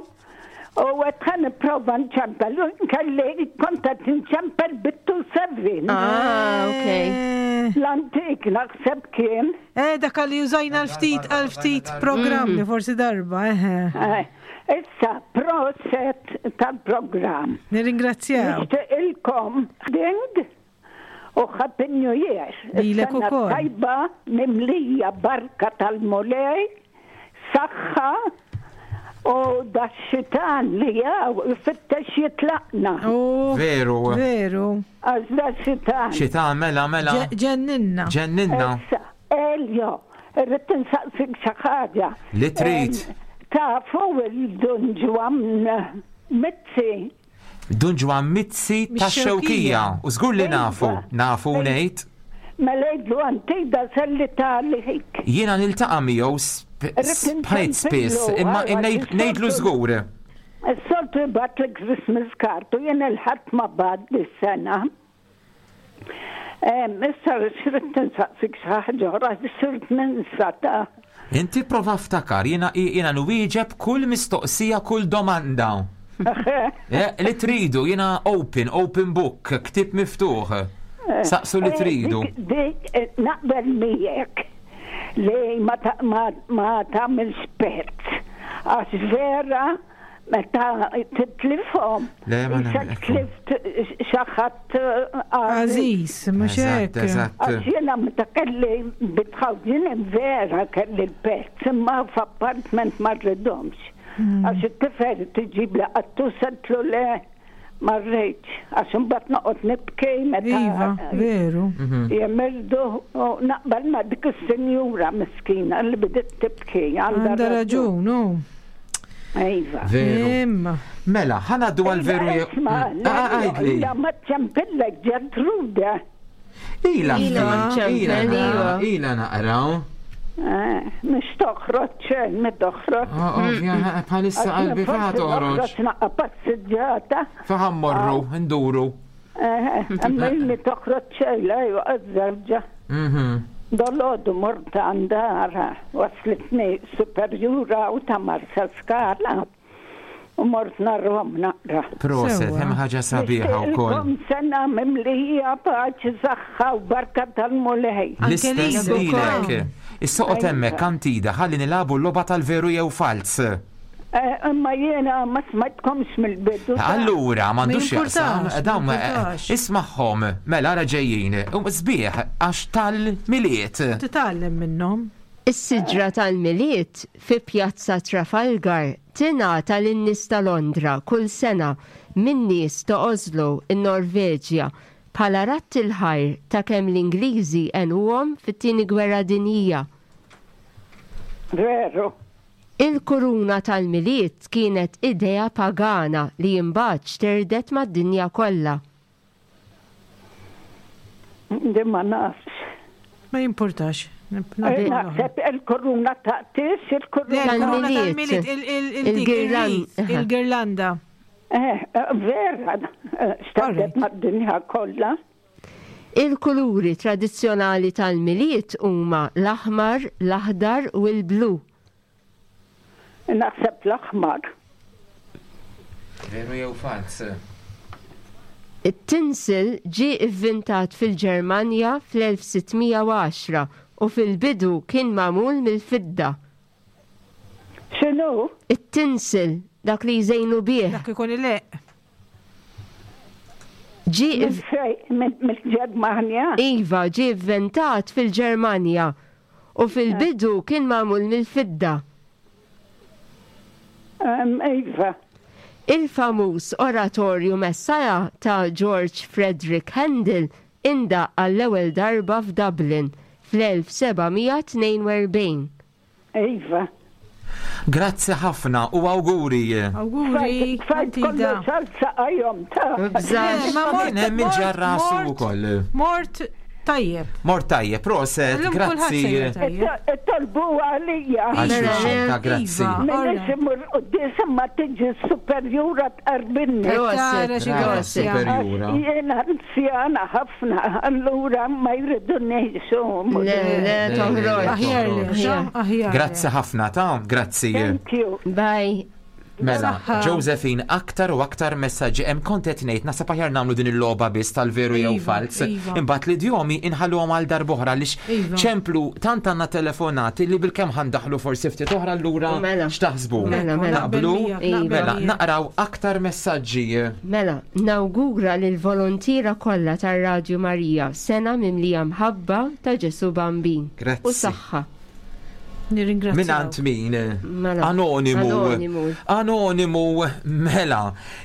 u għet ħan prova nċempel. U nkelli kont qed nċempel bit-2 7. Ah, ok. L-antik naħseb kien. Eh, dak li użajna l-ftit għal-ftit programmi, forsi darba, eħe. Eh, Issa, proset tal-programm. Nirringrazzjaw. Nixtieqilkom ding u Happy New Year. Lilek Sena ukoll. Tajba mimlija barka tal-mulej, saħħa u da xitan li jaw ifittex jitlaqna. Veru. Veru. Għax da xitan. Xitan mela mela. Ġenninna. Ġenninna. Issa, Elio, irrid insaqsik xi ħaġa. Li trid. Tafu il-Dun Ġwan Mizzi. Dun Ġwan Mizzi ta' xewkija. U żgur li nafu, nafu ngħid. Mela jgħidlu antida selli ta' liħik. Jiena niltaqa' miegħu bħajt spiss, imma ngħidlu żgur. Is-soltu jibgħat li Christmas card u jien il-ħadd ma bad dis-sena. Issa xridt insaqsik xi ħaġa oħra, sirt ninsa ta' Inti prova ftakar, jiena jiena nwieġeb kull mistoqsija, kull domanda. Eh, Li tridu, jiena open, open book, ktib miftuħ. Saqsu li Eh, tridu. Dik, dik, eh, naqbel miegħek li ma ta- ma- ma tagħmilx pezz. Għax vera Meta titlifhom. Le, ma nagħmel. Tlift xi ħadd Għażiż, mhux hekk. Għax jiena meta kelli bitħawġin vera kelli l-pets imma f'appartment ma rridhomx. Hmm. Għax it-tifel tiġib li qattu setlu le ma rridx, għax imbagħad noqgħod nibki meta. Iva, veru. Mhm. Jemirdu u naqbel ma dik is-sinjura miskina li bdiet tibki. Għandha raġun, u. Iva. Veru. Imma. Mela, ħanaddu għal veru jew. Isma, Ah, għajdli. ila ma ċempillek Ġertrude. Ila, Ila, ila, ila, naqra, ila naqra. Eh, Mhux toħroġ xejn, mi toħroġ. Oh, Ovvja, bħalissa qalbi fa toħroġ. Toħroġ naqqa passiġġata. Fa mmorru, nduru. Eh, Imma illi toħroġ xejn, la għazzarġa. Dolodu mort għandara, waslitni superjura u ta' Marsa Skala. U mort narhom naqra. Proset, hemm ħaġa sabiħa wkoll. Nixtieqilkom sena mimlija paċi, saħħa u barka tal-Mulej. L-istess lilek. Is-soqgħod hemmhekk Antida ħalli nilagħbu l-logħba tal-veru jew falz. Eh, Imma jiena ma smajtkomx mill-bidu. Allura, m'għandux Ma jaqsam, jimpurtax, dawn ma eh, jimpurtax. ismagħhom, mela ara ġejjin. U Sbieħ għax tal-miliet. Titgħallem minnhom. Is-siġra tal-Milied fi Pjazza Trafalgar tingħata lin-nies ta' Londra kull sena min-nies ta' Oslo, in-Norveġja, bħala radd il-ħajr ta' kemm l-Ingliżi għenuhom fit-Tieni Gwerra Dinjija. Veru. Il-kuruna tal-Milied kienet idea pagana li imbagħad xterdet mad-dinja kollha. Di ma nafx. Ma jimpurtax. Eh, Naħseb il-kuruna ta' tis, il-kuruna. Il-kuruna Tal-Milied. tal-Milied, Il-girlan- il-girlanda. Eh, eh, vera, eh, xterdet mad-dinja kollha. Il-kuluri tradizzjonali tal-Milied huma l-aħmar, l-aħdar u l-blu. Naħseb l-aħmar. Veru jew falz? It-tinsel ġie ivvintat fil-Ġermanja fl-1610 u fil-bidu kien magħmul mill-fidda. X'inhu? It-tinsel, dak li jżejnu bih. Dak ikun ileq. Ġie Minn fejn? Mill-Ġermanja? Iva, ġie ivvintat fil-Ġermanja u fil-bidu kien magħmul mill-fidda. Iva. Il-famuż oratorju Messiah ta' George Frederick Handel indaqq għall-ewwel darba f'Dublin fl-1742. Iva. Grazzi ħafna u awguri. Awguri, Tfajt Antida. kollox għal saqajhom ta' Bżax. Ma mort, Kien hemm il-ġarrasu mort, wkoll. mort tajjeb. Mort tajjeb, proset, Illum kulħadd grazzi. sejjer tajjeb. Tolbu għalija. Għal Mela, xulxin ta' grazzi. Iva. Minix imur quddiem imma tiġi superjura tqarbinni. Tara xi Brava, grazzja. superjura. Jiena anzjana ħafna, allura ma jridunix. Le, le, toħroġ. Aħjar li, Aħjar. aħjar. Grazzi ħafna ta' grazzi. Thank you. Bye. Mela, Saħħa. Josephine, aktar u aktar messaġġi hemm kont qed ngħid naħseb aħjar nagħmlu din il-logħba biss tal-veru jew Iva, falz. iva. Imbagħad l-idjomi inħalluhom għal darb'oħra għaliex Iva. ċemplu tant għandna telefonati li bilkemm ħandaħlu forsi ftit oħra allura Mela. x'taħsbu? Mela, mela. Naqblu? Naqbel miegħek, naqbel Mela, miegħek. naqraw aktar messaġġi. Mela, nawgura lil volontiera kollha tar-Radju Marija sena mimlija mħabba ta' Ġesu Bambin. Grazzi. U saħħa. Nirringrazzjaw. Min għand min? Mela. Anonimu. Anonimu. Anonimu, mela.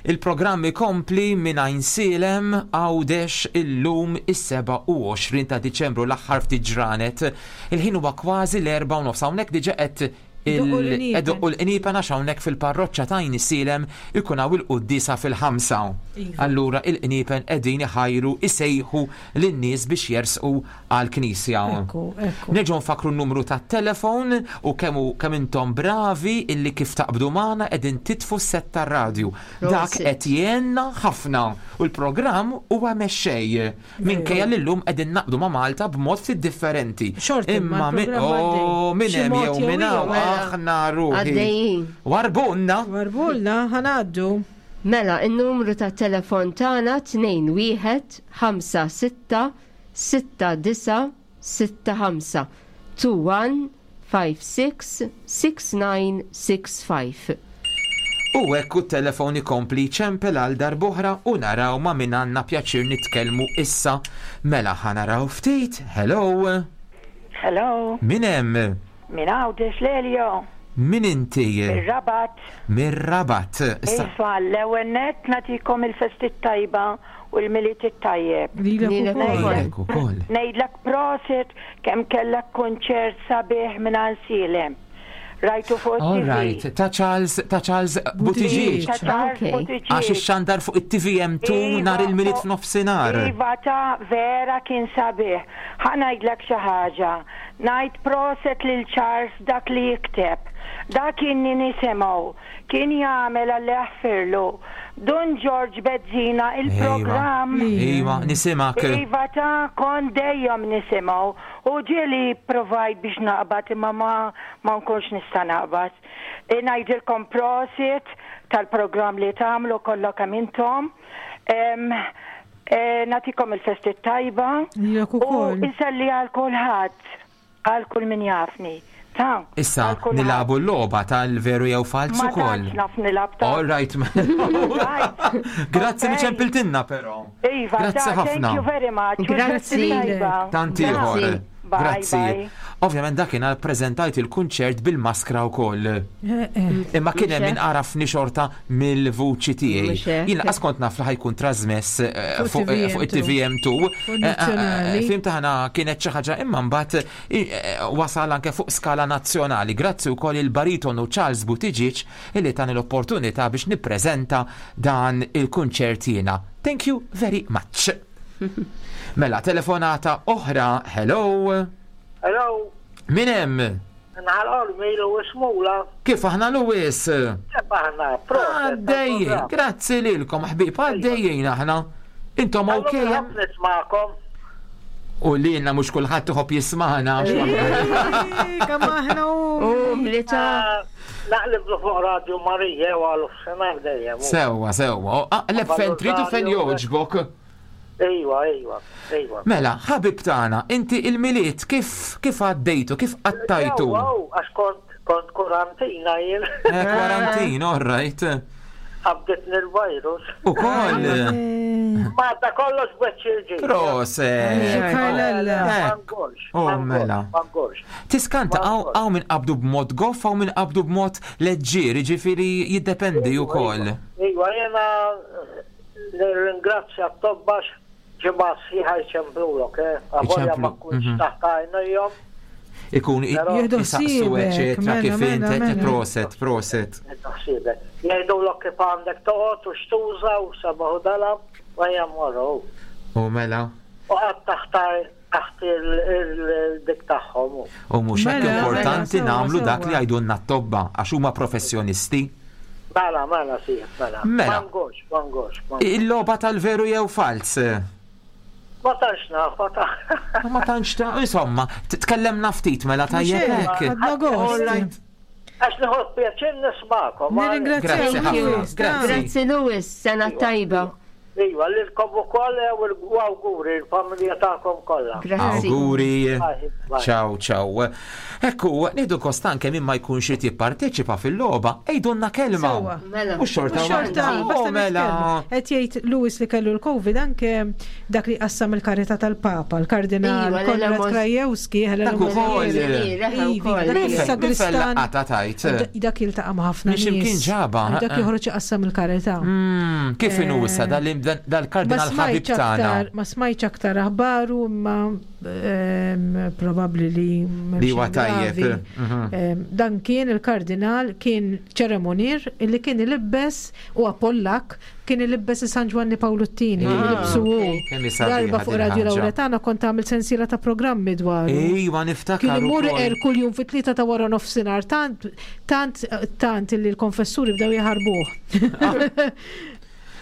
Il-programm ikompli minn Għajnsielem Għawdex illum is-27 ta' Diċembru l-aħħar ftit ġranet. Il-ħin huwa kważi l-4 u nofs. Hawnhekk diġà qed Idoqqu l-qniepen. Edoqqu l-qniepen għax hawnhekk fil-parroċċa ta' Għajnsielem ikun hawn il-quddiesa fil-ħamsa. Iva. Allura il-qniepen qegħdin iħajru isejħu lin-nies biex jersqu għall-knisja. Ekku, ekku. Nerġgħu nfakru n-numru tat-telefon u kemm hu- kemm intom bravi illi kif taqbdu magħna qegħdin titfu s-set tar-radju. Dak Prosit. qed jgħinna ħafna u l-programm huwa mexxej. Minkejja li llum qegħdin naqbdu ma' Malta b'mod ftit differenti. Xorta imma Imma min l-programm għaddej. oh, min Xi hemm mod jew jew minn hawn ieħor. aħna ruħi. Għaddejjin. Warbunna. Warbulna, ħanaddu. Mela, il-numru ta' telefon tagħna 21 5 6 6 9 6 5 21 5 6 6 9 6 5. U hekk u t-telefon ikompli jċempel għal darb'oħra u naraw ma' min għandna pjaċir nitkellmu issa. Mela ħa naraw ftit. Hello. Hello. Min hemm? Min Għawdex Lelio. Min inti? Mir-Rabat. Mir-Rabat. Iva, l-ewwel nett nagħtikom il-festi t-tajba u l-Milied it-tajjeb. Lilek ukoll. Lilek ukoll. Ngħidlek prosit kemm kellek kunċert sabiħ minn Għansielem. Rajtu fuq All right, ta' Charles, ta' Charles Buttigieg. Ta' Charles Buttigieg. Għax ixxandar fuq it-TVM2 Iva, nhar il-Milied f'nofsinhar. Iva ta' vera kien sabiħ. Ħa ngħidlek xi ħaġa. Ngħid proset lil Charles dak li jikteb. Dak inni nisimgħu. Kien jagħmel Alla jaħfirlu. Dun Ġorġ Bezzina il-programm. Iva, nisimgħek. Iva ta' kont dejjem nisimgħu. U ġieli provajt biex naqbad imma ma ma nkunx nista' naqbad. Ngħidilkom prosit tal-programm li tagħmlu kollha kemm intom. Nagħtikom il-festi t-tajba. Lilek ukoll. U nselli għal kulħadd, għal kull min jafni. Ta. Issa nilagħbu l-logħba tal-veru jew falz ukoll. Ma tantx naf nilgħab ta. All right. Grazzi li ċempiltilna però. Iva, Grazzi ħafna. Thank you very much. Grazzi. Tant ieħor. Grazzi. Ovvjament dakinhar ppreżentajt il-kunċert bil-maskra wkoll. Imma kien hemm min għarafni xorta mill-vuċi tiegħi. Jien lanqas kont naf li ħajkun trasmess eh, fuq eh, fuq it-TVM2. Eh, Fim taħna kienet xi ħaġa imma mbagħad wasal anke fuq skala nazzjonali. Grazzi wkoll il-baritonu Charles Buttigieg illi tani l-opportunità biex nippreżenta dan il-kunċert jiena. Thank you very much. Mela, telefonata oħra, hello. Hello. Min hemm? Nħal Ormi Lewis Mula. Kif aħna Lewis? Kif aħna? Għaddejjin, grazzi lilkom ħbib, għaddejjin aħna. Intom ok? Nismakom. U li jenna mux kullħat tuħob jismaħna. Kemm aħna u. Mlita. Naqlib fuq Radio Marija u għal senar dejjem. Sewwa, sewwa. Aqleb fejn trid u fejn jogħġbok. Ejwa, ejwa, ejwa. Mela, ħabib tagħna, inti il-Milied kif kif għaddejtu, kif qattajtu? Sewwa, għax kont kont kwarantina jien. Eh, kwarantin, all right. Qabditni l-virus. Ukoll. Ma da kollox b'wiċċ il-ġid. Proset. Oh, mela. Tiskanta hawn min qabdu b'mod goff, hawn min qabdu b'mod leġġier, jiġifieri jiddependi wkoll. Iva, jiena nirringrazzja t-tobba għax ġimgħa sħiħa jċemplulok, eh, avolja ma tkunx mhm. taħt għajnejhom. Ikun jisaqsu eċetera mela, kif mela, int mela. proset, proset. Jgħidulok kif għandek toqgħod u x'tuża u sabaħu dalam u ejja morru. U mela. U qatt taħt taħt il-dik tagħhom. U mhux hekk mela, importanti mela, nagħmlu dak li jgħidulna t-tobba għax huma professjonisti. Mela, mela, sieħ, mela. Mela. Mangux, mangux. Il-logħba tal-veru jew fals? Ma tantx naf, ma tantx. Ma tantx ta' insomma, tkellemna ftit mela tajjeb hekk. Għax nieħu pjaċir nismakom. Nirringrazzjak Lewis. Grazzi Lewis, sena tajba. Iva, lilkom ukoll u awguri l-familja tagħkom kollha. Grazzi. Awguri. Ciao, ciao. Ekku, nieħdu kost anke min ma jkunx irid jipparteċipa fil-logħba, għidulna kelma. Mela. U xorta. U xorta, oh, mela. Qed jgħid Lewis li kellu l-Covid anke dak li qassam il-karità tal-Papa, il-Kardinal Iva, Konrad l-Emos- Krajewski, Helena Dak ukoll. Ivi, dak il-sagristan. Qata tajt. Dak jiltaqa' ma' ħafna Minn x'imkien nies. ġabha, Dak eh. joħroġ iqassam il-karità. Mm, Kif inhu issa dal- dal-kardinal Ma ħabib smajtx tagħna? aktar, ma smajtx aktar aħbaru imma ehm, probabbli li m'hemm Li huwa xejn tajjeb, gravi. mhm. Ehm, Dan kien il-kardinal kien ċeremonier illi kien ilibbes huwa Pollak Kien ilibbes San Ġwanni Pawlu t-Tieni, kien Ah, ilibsu hu. Kemm hi sabiħa Darba fuq din Radio il-ħaġa. Lauretana kont għamilt sensiela ta' programmi dwaru. Ejwa niftakar Kien imur ukoll. iqer kuljum fit-tlieta ta' wara nofsinhar tant tant tant illi l-konfessuri bdew jaħarbuh.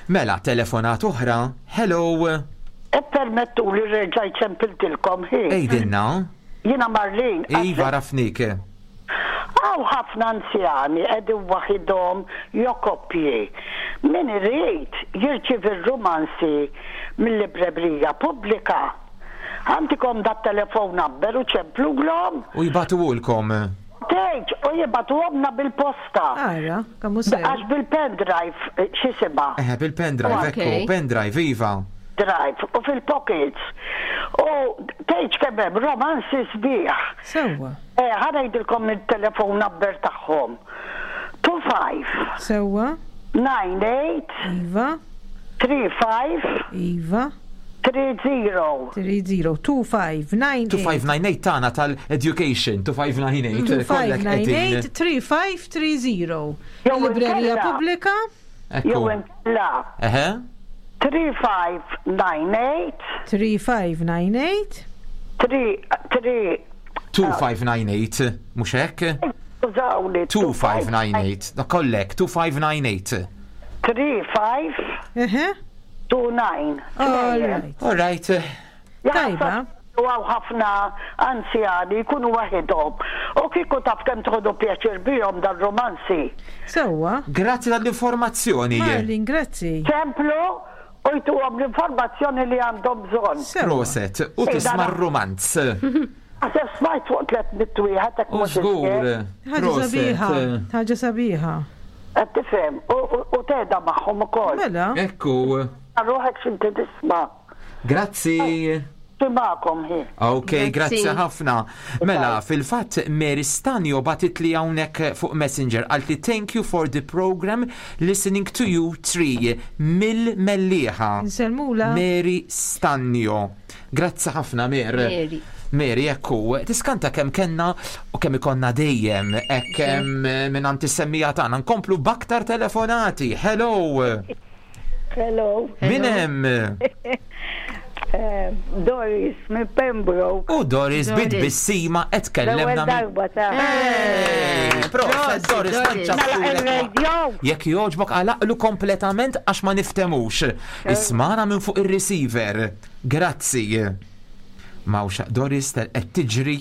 Mela, telefonat oħra. Hello. Ippermettuli reġajt ċempiltilkom hi. Għidilna. Jiena Marlene. Iva rafnik. Hawn ħafna anzjani qegħdin waħidhom jew koppji. Min irid jirċievi r-rumanzi mil-librebrija pubblika. Għandikom dat-telephone number u ċemplulhom. U jibagħtuhulkom. Tgħidx, u jibagħtuhomlna bil-posta. Ara, kemm hu sew. Għax bil-pendrive, eh, x'isimha? Eħe, bil-pendrive, ekku, pendrive, iva. Drive, u fil-pockets. U tgħidx kemm hemm romanzi sbieħ. Sewwa. Eh, ħa ngħidilkom it-telefon number tagħhom. 25. Sewwa. 98. Iva. 35. Iva. 30. 30. 2598. 2598 tagħna tal-education, 2598. kollek qegħdin. 2598 3530. Jew Il-Librerija inkella- Pubblika. Ekku. Jew inkella Eħe. 3598 3598 3 3 2598, mhux hekk? Skużawni. 2598, da kollek, 2598. 35 Eħe. 29. All right. All right. Tajba. U għaw ħafna anzjani jkunu waħedhom. U kieku taf kemm tħodu pjaċir bihom dal-romanzi. Sewwa. Grazzi tal-informazzjoni. Marlin, grazzi. Templu u jtuhom l-informazzjoni li għandhom bżonn. Proset, u tisma' r-romanz. Għasef smajt fuq 300 wieħed hekk U mhux żgur. Ħaġa Proset. sabiħa. Ħaġa sabiħa. Qed tifhem u tgħidha magħhom ukoll. Mela. Ekku. Ruħek x'inti tisma'. Grazzi. Timakom hi. Ok, Grazzi. grazzi ħafna. Mela, fil-fatt Mary Stanio batit li hawnhekk fuq Messenger għalt li thank you for the program listening to you three mill-Mellieħa. Nsellmula. Mary Stanio. Grazzi ħafna Mer. Mary. Mary, ekku, tiskanta kemm kenna u kemm ikonna dejjem, hekk kemm minn għand is-semmija tagħna nkomplu b'aktar telefonati. Hello. Hello. Min hemm? Eh, Doris minn Pembroke. U Doris Doris. bit bissima qed L-ewwel kellemna minn darba ta' Eh, Proset, Doris, Doris. tanċa Mela sulek. il-radio. Jekk jogħġbok għalaqlu kompletament għax ma niftemux. Ismana minn fuq ir-receiver. Grazzi. Mawxa, Doris tal qed tiġri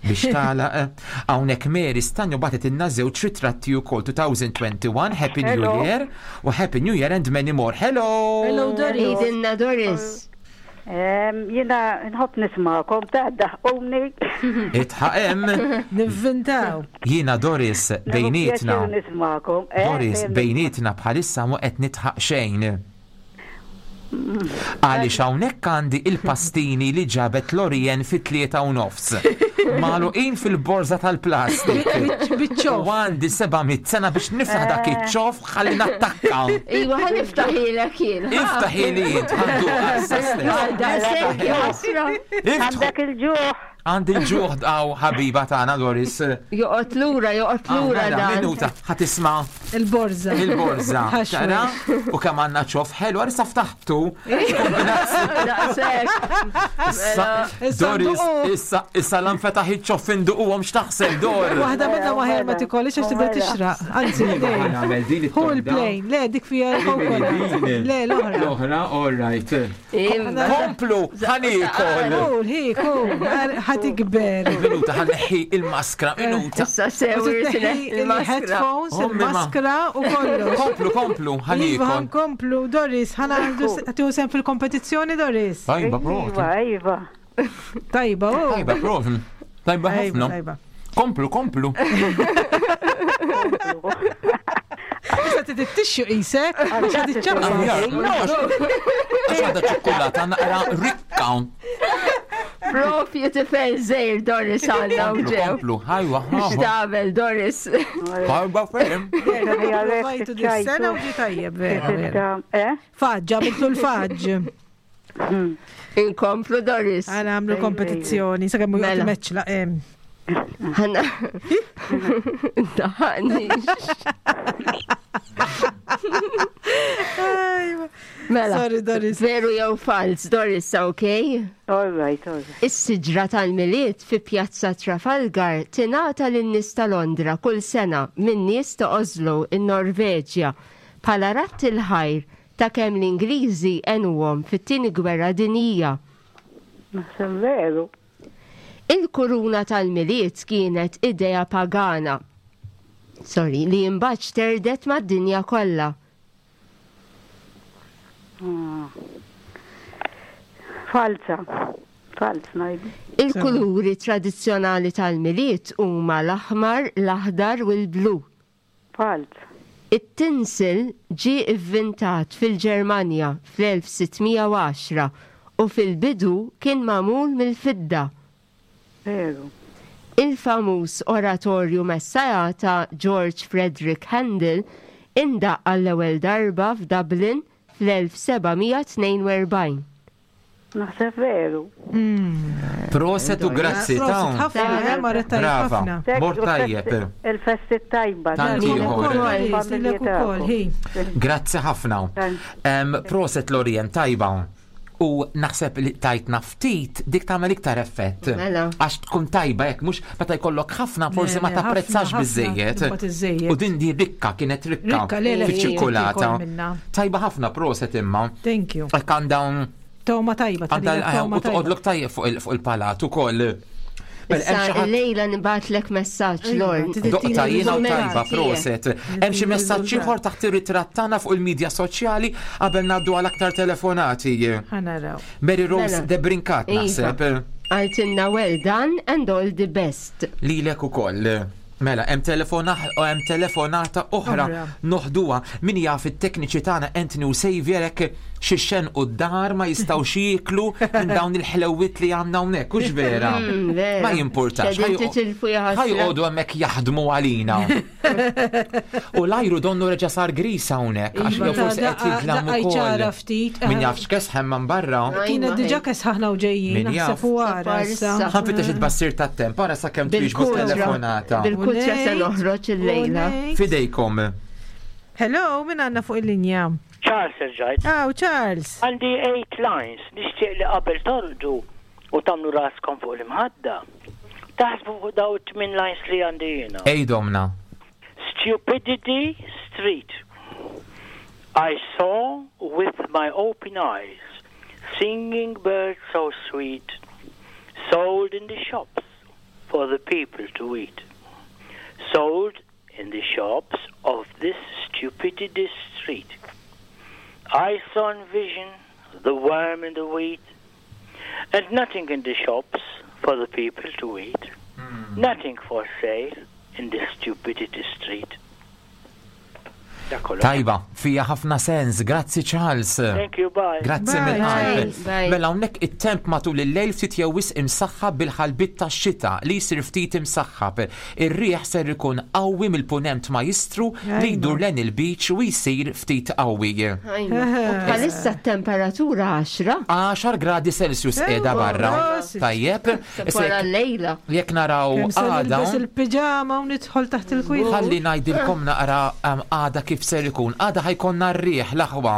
biex tagħlaq. Hawnhekk Mary Stanjo bagħtet inna żewġ ritratti wkoll 2021 Happy New Hello. Year u Happy New Year and many more. Hello. Hello, Doris. Idinna Doris. Em, Jiena nħobb nismakom ta' daħquni. Itħaq hemm. Nivvintaw. Jiena Doris bejnietna. Pjaċir nismakom. Eh, Doris, dejjem bejnietna bħalissa mu qed nitħaq xejn. Għaliex hawnhekk għandi il-pastini li ġabet Lorien fit-3 u nofs. Magħluqin fil-borża tal-plastik. Biċ-ċoff. U għandi 700 sena biex niftaħ dak iċ-ċoff ħalli nattakka. Iwa, ħa niftaħilek jien. Iftaħi li int ħandu għassa stess. Daqshekk ħasra. Iftħu. Għandek il-ġuħ. Għandi l-ġuħ daw ħabiba tagħna Doris. Joqgħod lura, joqgħod lura Mela, dan. Minuta, ħa tisma' Il-borża. il-borża. Ħaxwe. Tara? U kemm għandna ċoff ħelu, għarissa ftaħtu. Daqshekk. Issa, Issa Doris, nduqu. issa, issa l-anfetaħ iċ-ċoff induquhom x'taħseb Dor. Waħda minna waħer ma tikolix għax tibda Mela. tixraq. Anzi, Iva, ħa nagħmel din Hu it-tonda. il-plane, le dik fija l-coconut. Le, l-oħra. L-oħra, all right. Imma. Komplu, ħanikol. Kul, hi, kul, ħa tikber. Minuta, ħanneħi il-maskra, minuta. Issa sew irtineħ il-maskra. Il-headphones, Ommi ma. il-maskra u kollox. Komplu, komplu, Iva, ħanikol. ħankomplu, Doris, ħana għandu tiegħu sem fil-kompetizzjoni, Doris. Tajba, prof. Iva, iva. Tajba, u. Tajba, prof. Tajba Tajba, ħafna. tajba. Komplu, komplu. Issa titixxu qisek, għax ħad Aħjar, iċċappa. Għax għadha ċokolata naqra rikka. Propju tifel żejr Doris għandna u Komplu, ġew. komplu. Ħajwa, ħajwa. X'tagħmel Doris? Tajba ferm. Provajtu dis-sena u ġi tajjeb, vera, vera. Eh? Faġġ, għamiltu l-faġġ. Inkomplu Doris. Għana għamlu kompetizzjoni, sa' kemmu Mela. jgħat meċla. Ħana. Daħani. Mela. Sorry, Doris. Veru jew fals, Doris, ok? All right, all right. Is-siġra tal-Milied fi Pjazza Trafalgar tingħata lin-nies ta' Londra kull sena minn nies ta' Oslo in-Norveġja bħala ratt il-ħajr ta' kemm l-Ingliżi għenuhom fit-tieni gwerra dinjija. Naħseb veru. Il-kuruna tal-Milied kienet idea pagana. Sorry, li imbagħad xterdet mad-dinja kollha. Ah. Falsa. Falz ngħidu. Il-kuluri tradizzjonali tal-Milied huma l-aħmar, l-aħdar u l-blu. Falz. It-tinsel ġie ivvintat fil-Ġermanja fl-1610 u fil-bidu kien magħmul mill-fidda. Veru. Il-famuż oratorju Messiah ta' George Frederick Handel indaqq għall-ewwel darba f'Dublin fl-1742. Naħseb veru. Proset u grazzi ta' Brava. Mort tajjeb. Il-festi tajba. Tant ieħor. Grazzi ħafna. Proset Lorien tajba. U naħseb li tajtna ftit dik tagħmel iktar effett. Mela. Għax tkun tajba hekk mhux meta jkollok ħafna forsi ma tapprezzax biżejjed. U din di rikka kienet rikka fiċ-ċikkulata. Tajba ħafna proset imma. Thank you. Hekk għandha Toma tajba. Għandha u toqgħodlok tajjeb fuq il-palat ukoll. Mela, Issa lejla nibatlek messaġġ Lorn. Doqta jiena u tajba proset. Hemm xi messaġġ ieħor taħt ir-ritratt tagħna fuq il-midja soċjali qabel ngħaddu għal aktar telefonati. Ħanaraw. Mary Rose Mela. de Brincat Iva. naħseb. Għaltinna well done and all the best. Lilek ukoll. Mela, hemm telefona hemm telefonata oħra Oħra. noħduha min jaf it-tekniċi tagħna Anthony u Xavier hekk xi xen u d-dar ma jistgħux jieklu minn dawn il-ħlewwiet li għandna hawnhekk, hux vera? Vera. Ma jimpurtax. Xedin titilfu jaħasra. Ħajqogħdu hemmhekk jaħdmu għalina. U l-ajru donnu reġa' sar gris hawnhekk għax Iva, jew forsi qed jidlam Daqqaj ċara ukoll. ftit. Min jaf x'kesħem man barra. Kienet diġa kesħaħna u ġejjin, Min jaf. naħseb u għara issa. Ħanfittex it-bassir tat-temp, ara sakemm twieġbu Bil-kutra. telefonata. Bil-kutra se noħroġ il-lejla. Fidejkom. Hello, min għandna fuq il-linja? Charles erġajt. Aw, Charles. Għandi 8 lines, nixtieq li qabel torqdu u tagħmlu raskom fuq l-imħadda. Taħsbu fuq daw it-tmien lines li għandi jiena. Ejdomna. Stupidity Street. I saw with my open eyes singing birds so sweet, sold in the shops for the people to eat. Sold in the shops of this stupidity street. I saw in vision the worm in the wheat, and nothing in the shops for the people to eat. Nothing for sale in the stupidity street. Dak kollox. Tajba, fija ħafna sens. Grazzi Charles. Thank you, bye. Grazzi Bye. mill-qalb. Bye, bye. Mela hawnhekk it-temp matul il-lejl ftit jew wisq imsaħħab bil-ħalbit tax-xita li jsir ftit imsaħħab. Ir-riħ ser ikun qawwi mill-punent majistru li jdur len il-beach u jsir ftit qawwi. Ajma. U Bħalissa t-temperatura 10. 10 gradi Celsius qiegħda barra. prosit. Tajjeb. Issa Wara jekk- l-lejla. Jekk naraw Kemm se għada. nilbes il-pijama u nidħol taħt il-kwiet. Ħalli ngħidilkom naqra għada kif ser ikun. Għada ħajkonna r-riħ l-aħwa.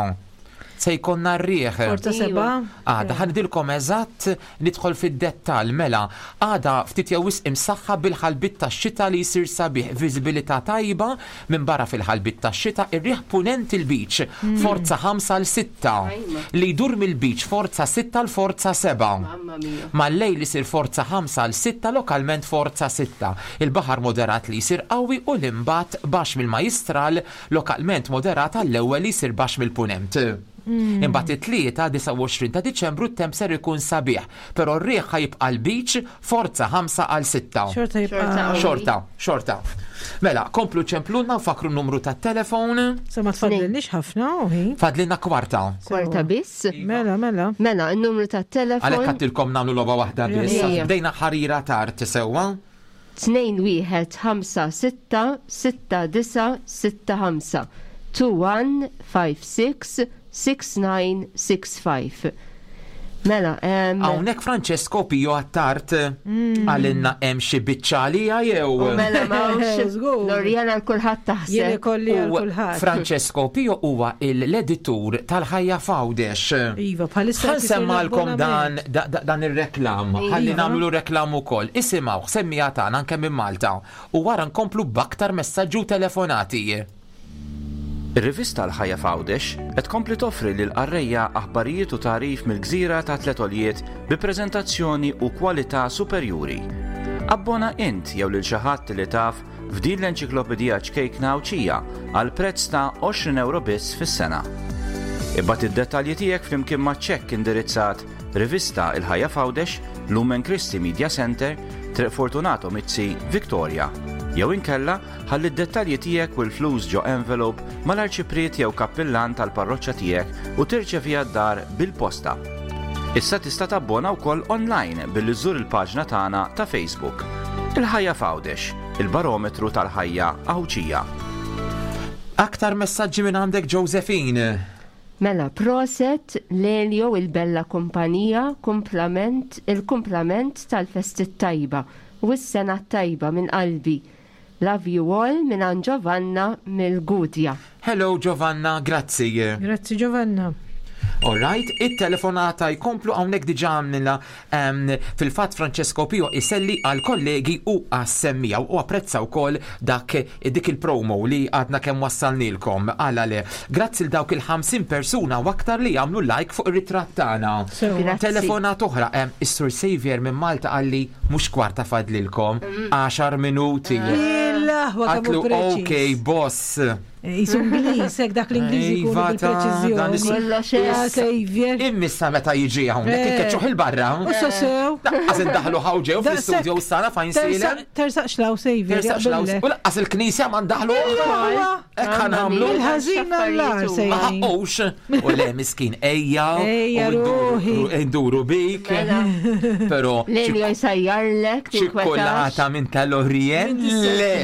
Se jkollna r-riħ. Forza seba. Għada ħanidilkom eżatt nidħol fid-dettall mela. Għada ftit jew wisq imsaħħa bil-ħalbit tax-xita li jsir sabiħ, viżibilità tajba minn barra fil-ħalbit tax-xita, ir-riħ punent il-beach, forza 5 l 6 li jdur mill-beach forza 6 l forza 7. Mamma mia. Mal-lejl isir forza 5 għal 6 lokalment forza 6. Il-baħar moderat li jsir qawwi u l-imbat baxx mill-majistral lokalment moderat għall-ewwel li jsir baxx mill-punent. Imbagħad it-tlieta 29 ta' Diċembru t-temp ser ikun sabiħ, però r-riħ ħajibqa' l-beach forza 5 għal 6. Xorta jibqa. Xorta. Xorta, xorta. Mela, komplu ċemplunna nfakru n-numru tat-telefon. Se ma tfadlilniex ħafna u hi. Fadlilna kwarta. Kwarta biss. Mela, mela. Mela, il-numru Għalhekk tat-telefon għattilkom nagħmlu logħba waħda biss. Ejja. Bdejna ħarira tard sewwa. 2 1 5 6 6 9 6 5 2 1 5 6 6 9 6 5 Mela, Hawnhekk Francesco Pio Attard għalinna hemm xi biċċa għalija jew. u mela mawx Żgur. Lorjana l-kulħadd Jien taħseb. ikolli għal U kulħadd. Francesco Pio huwa l-editur tal-ħajja f'Għawdex. Iva, bħalissa qed isir Ħansemmalkom dan l-abbonament. da- da- dan ir-reklam, ħalli Iva. nagħmlu reklam ukoll. Isimgħu, semmija tagħna anke minn Malta u wara nkomplu b'aktar messaġġi u telefonati. Ir-rivista L-Ħajja f'Għawdex qed tkompli toffri lil qarrejja aħbarijiet u tagħrif mill-gżira ta' tliet għoljiet bi preżentazzjoni u kwalità superjuri. Abbona int jew lil xi ħadd li taf f'din l-enċiklopedija ċkejkna Għawdxija għal prezz ta' 20 euro biss fis-sena. Ibgħat id-dettalji tiegħek flimkien ma' ċekk indirizzat Rivista Il-Ħajja f'Għawdex, Lumen Christi Media Center, Triq Fortunato Mizzi, Victoria. Jew inkella ħalli d-dettalji tiegħek u l-flus ġo envelope mal-arċipriet jew kappillan tal-parroċċa tiegħek u tirċeviha d-dar bil-posta. Issa tista' tabbona wkoll online billi żżur il-paġna tagħna ta' Facebook. Il-Ħajja f'Għawdex, il-barometru tal-ħajja Għawdxija. Aktar messaġġi minn għandek Josephine. Mela proset Lelio il-bella kumpanija kumplament il-kumplament tal-festi t-tajba u s-sena t-tajba minn qalbi. Love you all mingħand Giovanna mill-Gudja. Hello Giovanna, grazzi. Grazzi Giovanna. Alright, it-telefonata jkomplu hawnhekk diġà għamlina fil-fatt Francesco Pio iselli għal kollegi u għas-semmija u apprezza wkoll dak dik il-promo li għadna kemm wassalnilkom. Għala le. Grazzi l dawk il-50 persuna u aktar li jagħmlu like fuq ir-ritratt tagħna. Telefonata oħra, is-Sur Xavier minn Malta qalli mhux kwarta fadlilkom, 10 minuti. Għatlu ok, boss. Jisu Ingliż, hekk dak l-Ingliż ikun Iva, ta' dan bil-preċiżjoni. is- Kollox Ja, hekk. Xavier. Immissa meta jiġi hawnhekk Eh. ikkeċċuh il-barra. U so sew. Laqqas indaħlu ħawġew Daqshekk. fl-istudio s-sala fajn silem. Tersaqx law Xavier. Tersaqx law. jaqbillek. U laqqas il-knisja ma ndaħlu. Iva. Hekk ħanamlu. Il-ħażin għall-agħar Ma sejrin. ħaqqux. U le miskin ejja. Ejja, u nduru- ruħi. Nduru bik. Però Lelio jsajjarlek, tinkwetax. ċikkolata minn tal-Orient. Le.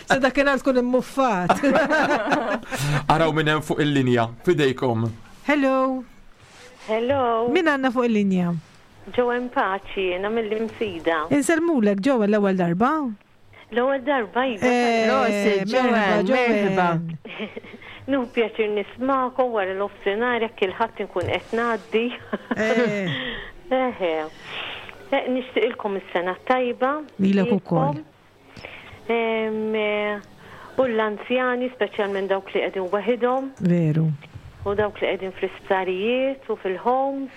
Sa dakinhar tkun immuffat. Araw minn hemm fuq il-linja. Fidejkom. Hello. Hello. Min għandna fuq il-linja? Joanne Paċi, jiena mill-Imsida. Insellmulek ġewwa l-ewwel darba. L-ewwel darba iva. Eh, Prosit, merħba, Joanne, merħba. Nuhu pjaċir nismakom wara l-offsenar jekk il-ħadd inkun qed ngħaddi. Eh. Eħe. Eh, Nixtieqilkom is-sena tajba. Lilek ukoll. Em, eh, U l-anzjani, speċjalment dawk li qegħdin waħidhom Veru. u dawk li qegħdin fl-isptarijiet u fil-homes.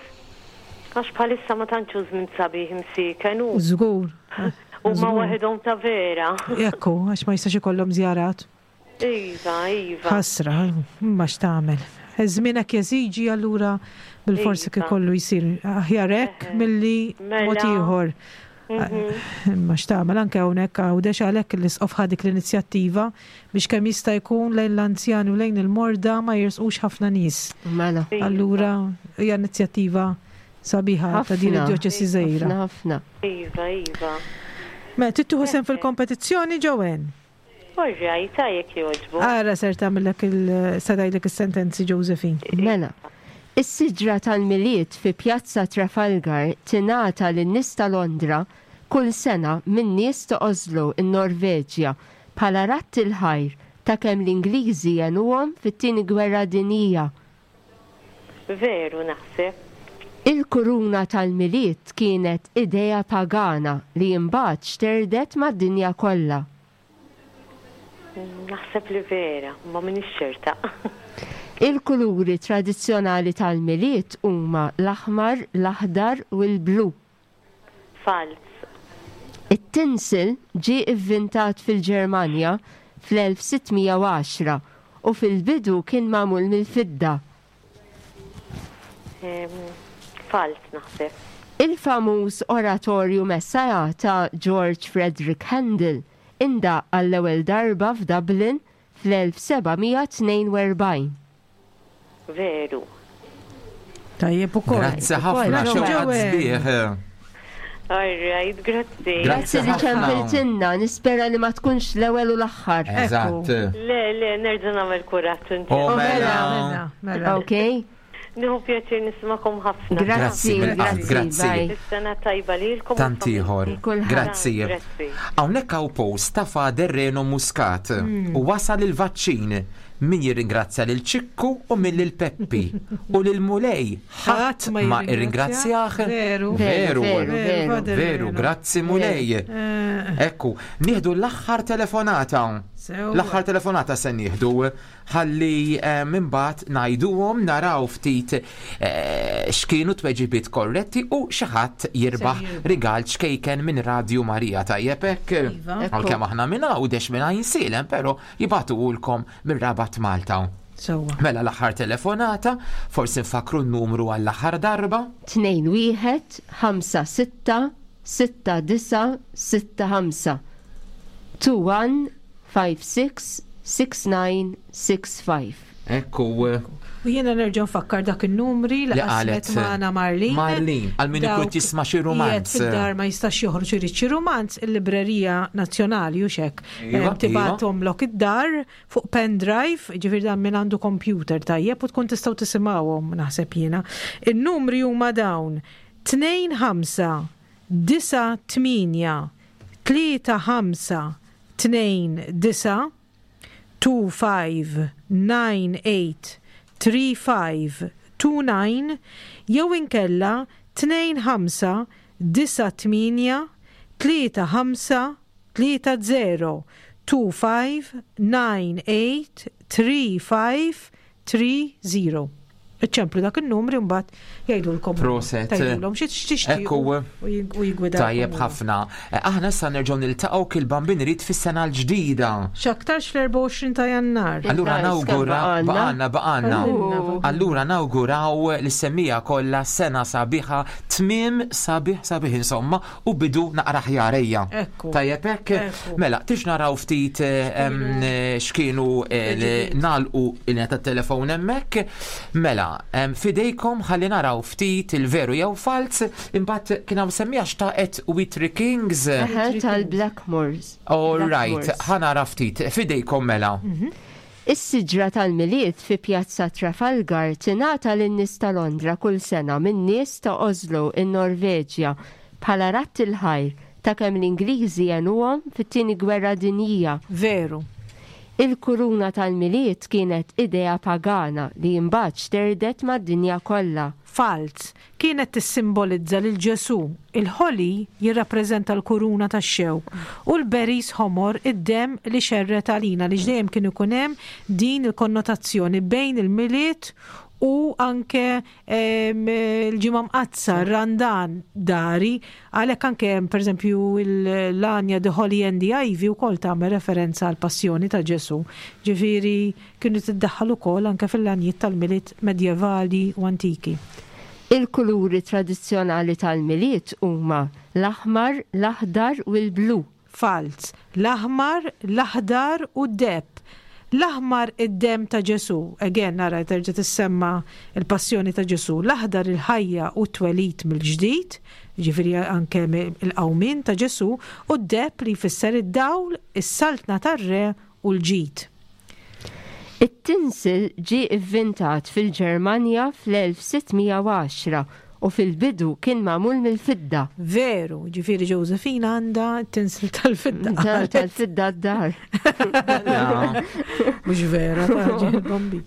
Għax bħalissa ma tantx hu żmien sabiħ imsieken u Żgur. huma waħedhom ta' vera. Ekku, għax ma jistax ikollhom żjarat. Iva, iva. Ħasra, imma x'tagħmel. Iż-żmien hekk jeżiġi allura bil-forsi Iva. ikollu jsir aħjar hekk milli Mela. mod ieħor. Imma x'tagħmel anke hawnhekk Għawdex għalhekk l-isqof ħa dik l-inizjattiva biex kemm jista' jkun lejn l-anzjani u lejn il-morda ma jersqux ħafna nies. Mela. Allura hija inizjattiva sabiħa ta' din Ħafna. id-djoċesi żgħira. Ħafna, ħafna. Iva, iva. Mela trid tieħu sehem fil-kompetizzjoni Joanne? Orrajt, ta' jekk jogħġbu. Ara ser tagħmellek il se tgħidlek is-sentenzi Josephine. Mela. Is-siġra tal-Milied fi Pjazza Trafalgar tingħata lin-nies ta' Londra kull sena min-nies ta' Oslo, in-Norveġja, bħala radd il-ħajr ta' kemm l-Ingliżi għenuhom fit-Tieni Gwerra Dinjija. Veru naħseb. Il-kuruna tal-Milied kienet idea pagana li imbagħad xterdet mad-dinja kollha. Naħseb li vera, ma m'iniex ċerta. Il-kuluri tradizzjonali tal-Milied huma l-aħmar, l-aħdar u l-blu. Falz. It-tinsel ġie ivvintat fil-Ġermanja fl-1610 u fil-bidu kien magħmul mill-fidda. Falz naħseb. Il-famuż oratorju Messiah ta' George Frederick Handel indaqq għall-ewwel darba f'Dublin fl-1742. Veru. Tajjeb ukoll. Grazzi ħafna, xewqat sbieħ. All right, grazzi. Grazzi li ċempiltinna, nispera li ma tkunx l-ewwel u l-aħħar. Eżatt. Le, le, nerġa' nagħmel kuraġġ inti. Oh, mela. Mela. Ok? Nieħu pjaċir nismakom ħafna. Grazzi, mill-qalb, grazzi, grazzi. bye. Is-sena tajba lilkom. u Tant ieħor. Kulħadd. Grazzi. Grazzi. Hawnhekk hawn post ta' Fader Reno Muscat u wasal il-vaċċin min jirringrazzja lil Ċikku u min lil Peppi u lil Mulej ħadd ma irringrazzjah. Veru. Veru, Veru, veru. Fader Veru, Reno. grazzi Mulej. Eh, Ekku, nieħdu l-aħħar telefonata. Sewwa. L-aħħar telefonata se nieħdu ħalli eh, minn bagħad ngħiduhom naraw ftit eh, x'kienu tweġibiet korretti u xi ħadd jirbaħ jirbaħ. rigal ċkejken minn Radio Marija tajjeb hekk. Iva. Għalkemm aħna minn Għawdex minn Għajnsielem, però jibagħtuhulkom minn Rabat Malta. Sewwa. Mela l-aħħar telefonata, forsi nfakru n-numru għall-aħħar darba. 2 1 5 6 6 9 6 5 2 1 5 6 6 9 6 5. Ekku. U jiena nerġa' nfakkar dak in-numri li qalet magħna Marlene. Marlene, għal min ikun jisma' xi rumanz. Fid-dar ma jistax joħroġ irid xi rumanz, il-Librerija Nazzjonali u xek. Iva, iva. Tibgħathomlok id-dar fuq pendrive, ġifieri dan min għandu computer tajjeb u tkun tistgħu tisimgħuhom naħseb jiena. In-numri huma dawn 2 5 9 8 3 5 2 9 2 5 9 8 3 5 2 9 jew inkella 2 5 9 8 3 5 3 0 2 5 9 8 3 5 3 0. Iċemplu dak in-numri mbagħad jgħidulkom. Proset. Tgħidulhom xi tixtiequ. Ekku. U jigwidaw. Tajjeb ħafna. Eh, aħna issa nerġgħu niltaqgħu kil bambin irid fis-sena l-ġdida. X'aktarx fl-24 ta' Jannar. Allura nawgura baqgħna baqgħna. Allura nawguraw lis-semmija kollha sena sabiħa, tmiem sabiħ sabiħ insomma u bidu naqra aħjar ejja. Tajjeb hekk? Mela, tix naraw ftit eh, x'kienu eh, nagħlqu il tat-telefon hemmhekk. Mela, fidejkom ħalli naraw ftit il-veru jew falz, imbagħad kien hawn semmija xtaqet Witry Kings. Tal-Blackmores. All right, ħa nara ftit, fidejkom mela. Mhm. Is-siġra tal-Milied fi Pjazza Trafalgar tingħata lin-nies ta' Londra kull sena min-nies ta' Oslo, in-Norveġja, bħala radd il-ħajr ta' kemm l-Ingliżi għenuhom fit-Tieni Gwerra Dinjija. Veru. Il-kuruna tal-Milied kienet idea pagana li imbagħad xterdet mad-dinja kollha. Falz. Kienet tissimbolizza lil Ġesù. Il-ħoli jirrappreżenta l-kuruna tax-xewk u l-berries ħomor id-demm li xerred għalina għaliex dejjem kien ikun hemm din il-konnotazzjoni bejn il-Milied u anke l-Ġimgħa Mqaddsa, r-Randan dari. Għalhekk anke hemm pereżempju l-għanja The Holly and the Ivy wkoll tagħmel referenza għall-passjoni ta' Ġesù. Ġifieri Kienu tiddaħħal ukoll anke fil-għanjiet tal-Milied medjevali u antiki. Il-kuluri tradizzjonali tal-Milied huma l-aħmar, l-aħdar u l-blu. Falz. L-aħmar, l-aħdar u d-deheb. L-aħmar id-demm ta' Ġesù, again ara terġa' tissemma l-passjoni ta' Ġesù, l-aħdar il-ħajja u t-twelid mill-ġdid, jiġifieri anke l-qawmien ta' Ġesù, u d-deheb li jfisser id-dawl, is-saltna tar-Re u l-ġid. It-tinsel ġie ivvintat fil-Ġermanja fl-1610 u fil-bidu kien magħmul mill-fidda. Veru, ġifieri Josephine għandha t-tinsel tal-fidda. Tal-fidda d-dar. Mhux vera, taġi bombi.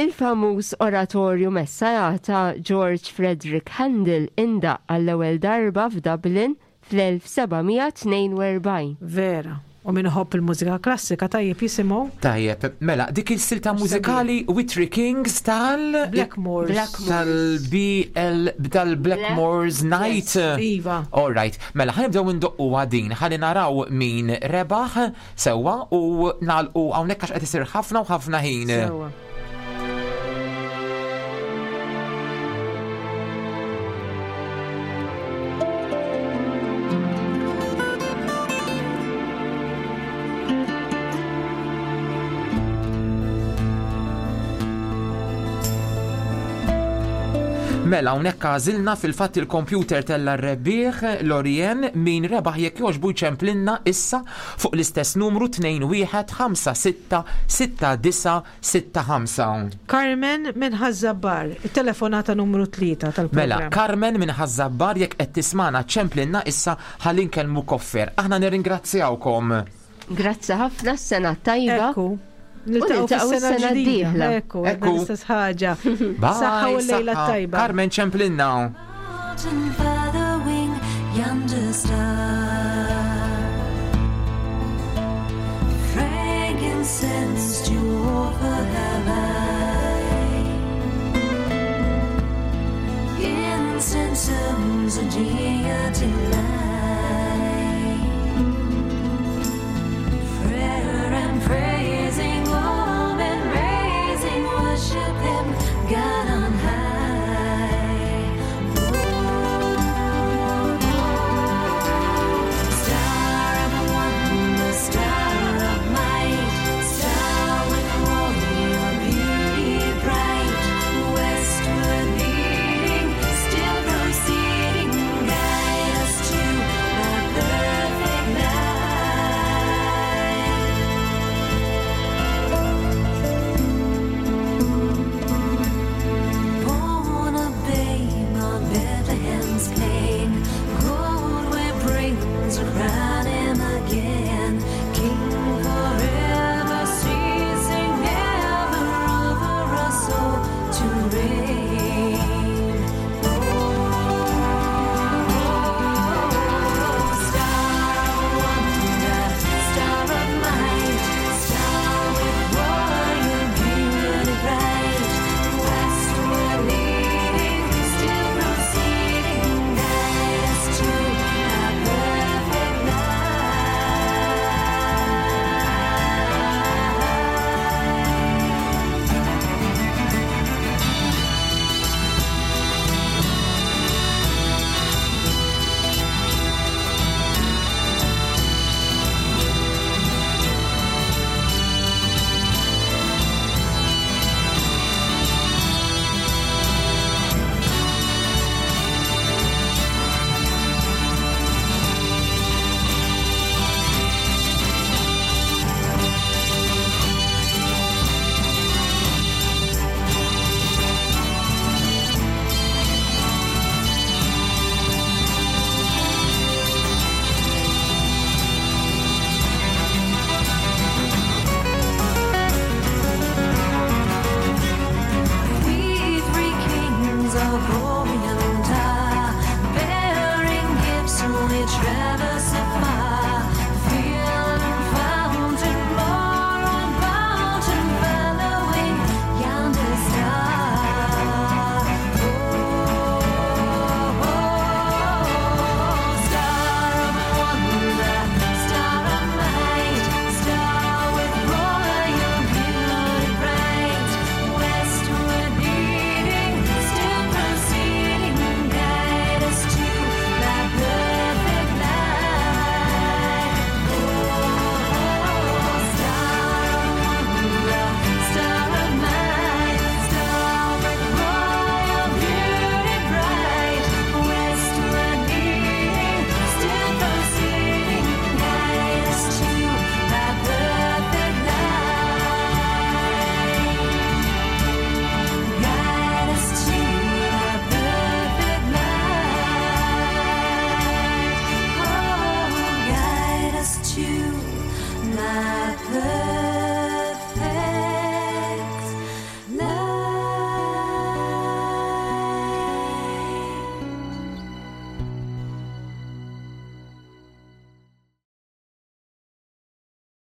Il-famuż oratorju Messiah ta' George Frederick Handel indaqq għall-ewwel darba f'Dublin fl-1742. Vera. U min iħobb il-mużika klassika tajjeb jisimgħu. Tajjeb, mela, dik il-silta mużikali Witry Kings tal. Blackmores. Tal-BL, tal-Blackmores Night. Iva. All right, mela, ħanibdew indoqqu għadin, ħalli naraw min rebaħ sewwa u nagħlqu hawnhekk għax qed isir ħafna u ħafna ħin. Sewwa. Mela hawnhekk għażilna fil-fatt il-kompjuter tella r-rebbieħ Lorien min rebaħ jekk jogħġbu jċemplinna issa fuq l-istess numru 21 5 6 6 9 65. Carmen minn Ħaż-Żabbar, it-telefonata numru 3 tal-programm. Mela, Carmen minn Ħaż-Żabbar jekk qed tismagħna ċemplinna issa ħalli nkellmuk offer. Aħna nirringrazzjawkom. Grazzi ħafna s-sena t-tajba. Ekku. Niltaqgħu fis-sena l-ġdida. Ekku, Ekku. l-istess ħaġa. Bye, Saħħa u l-lejla saħħa. t-tajba. Carmen ċemplinna.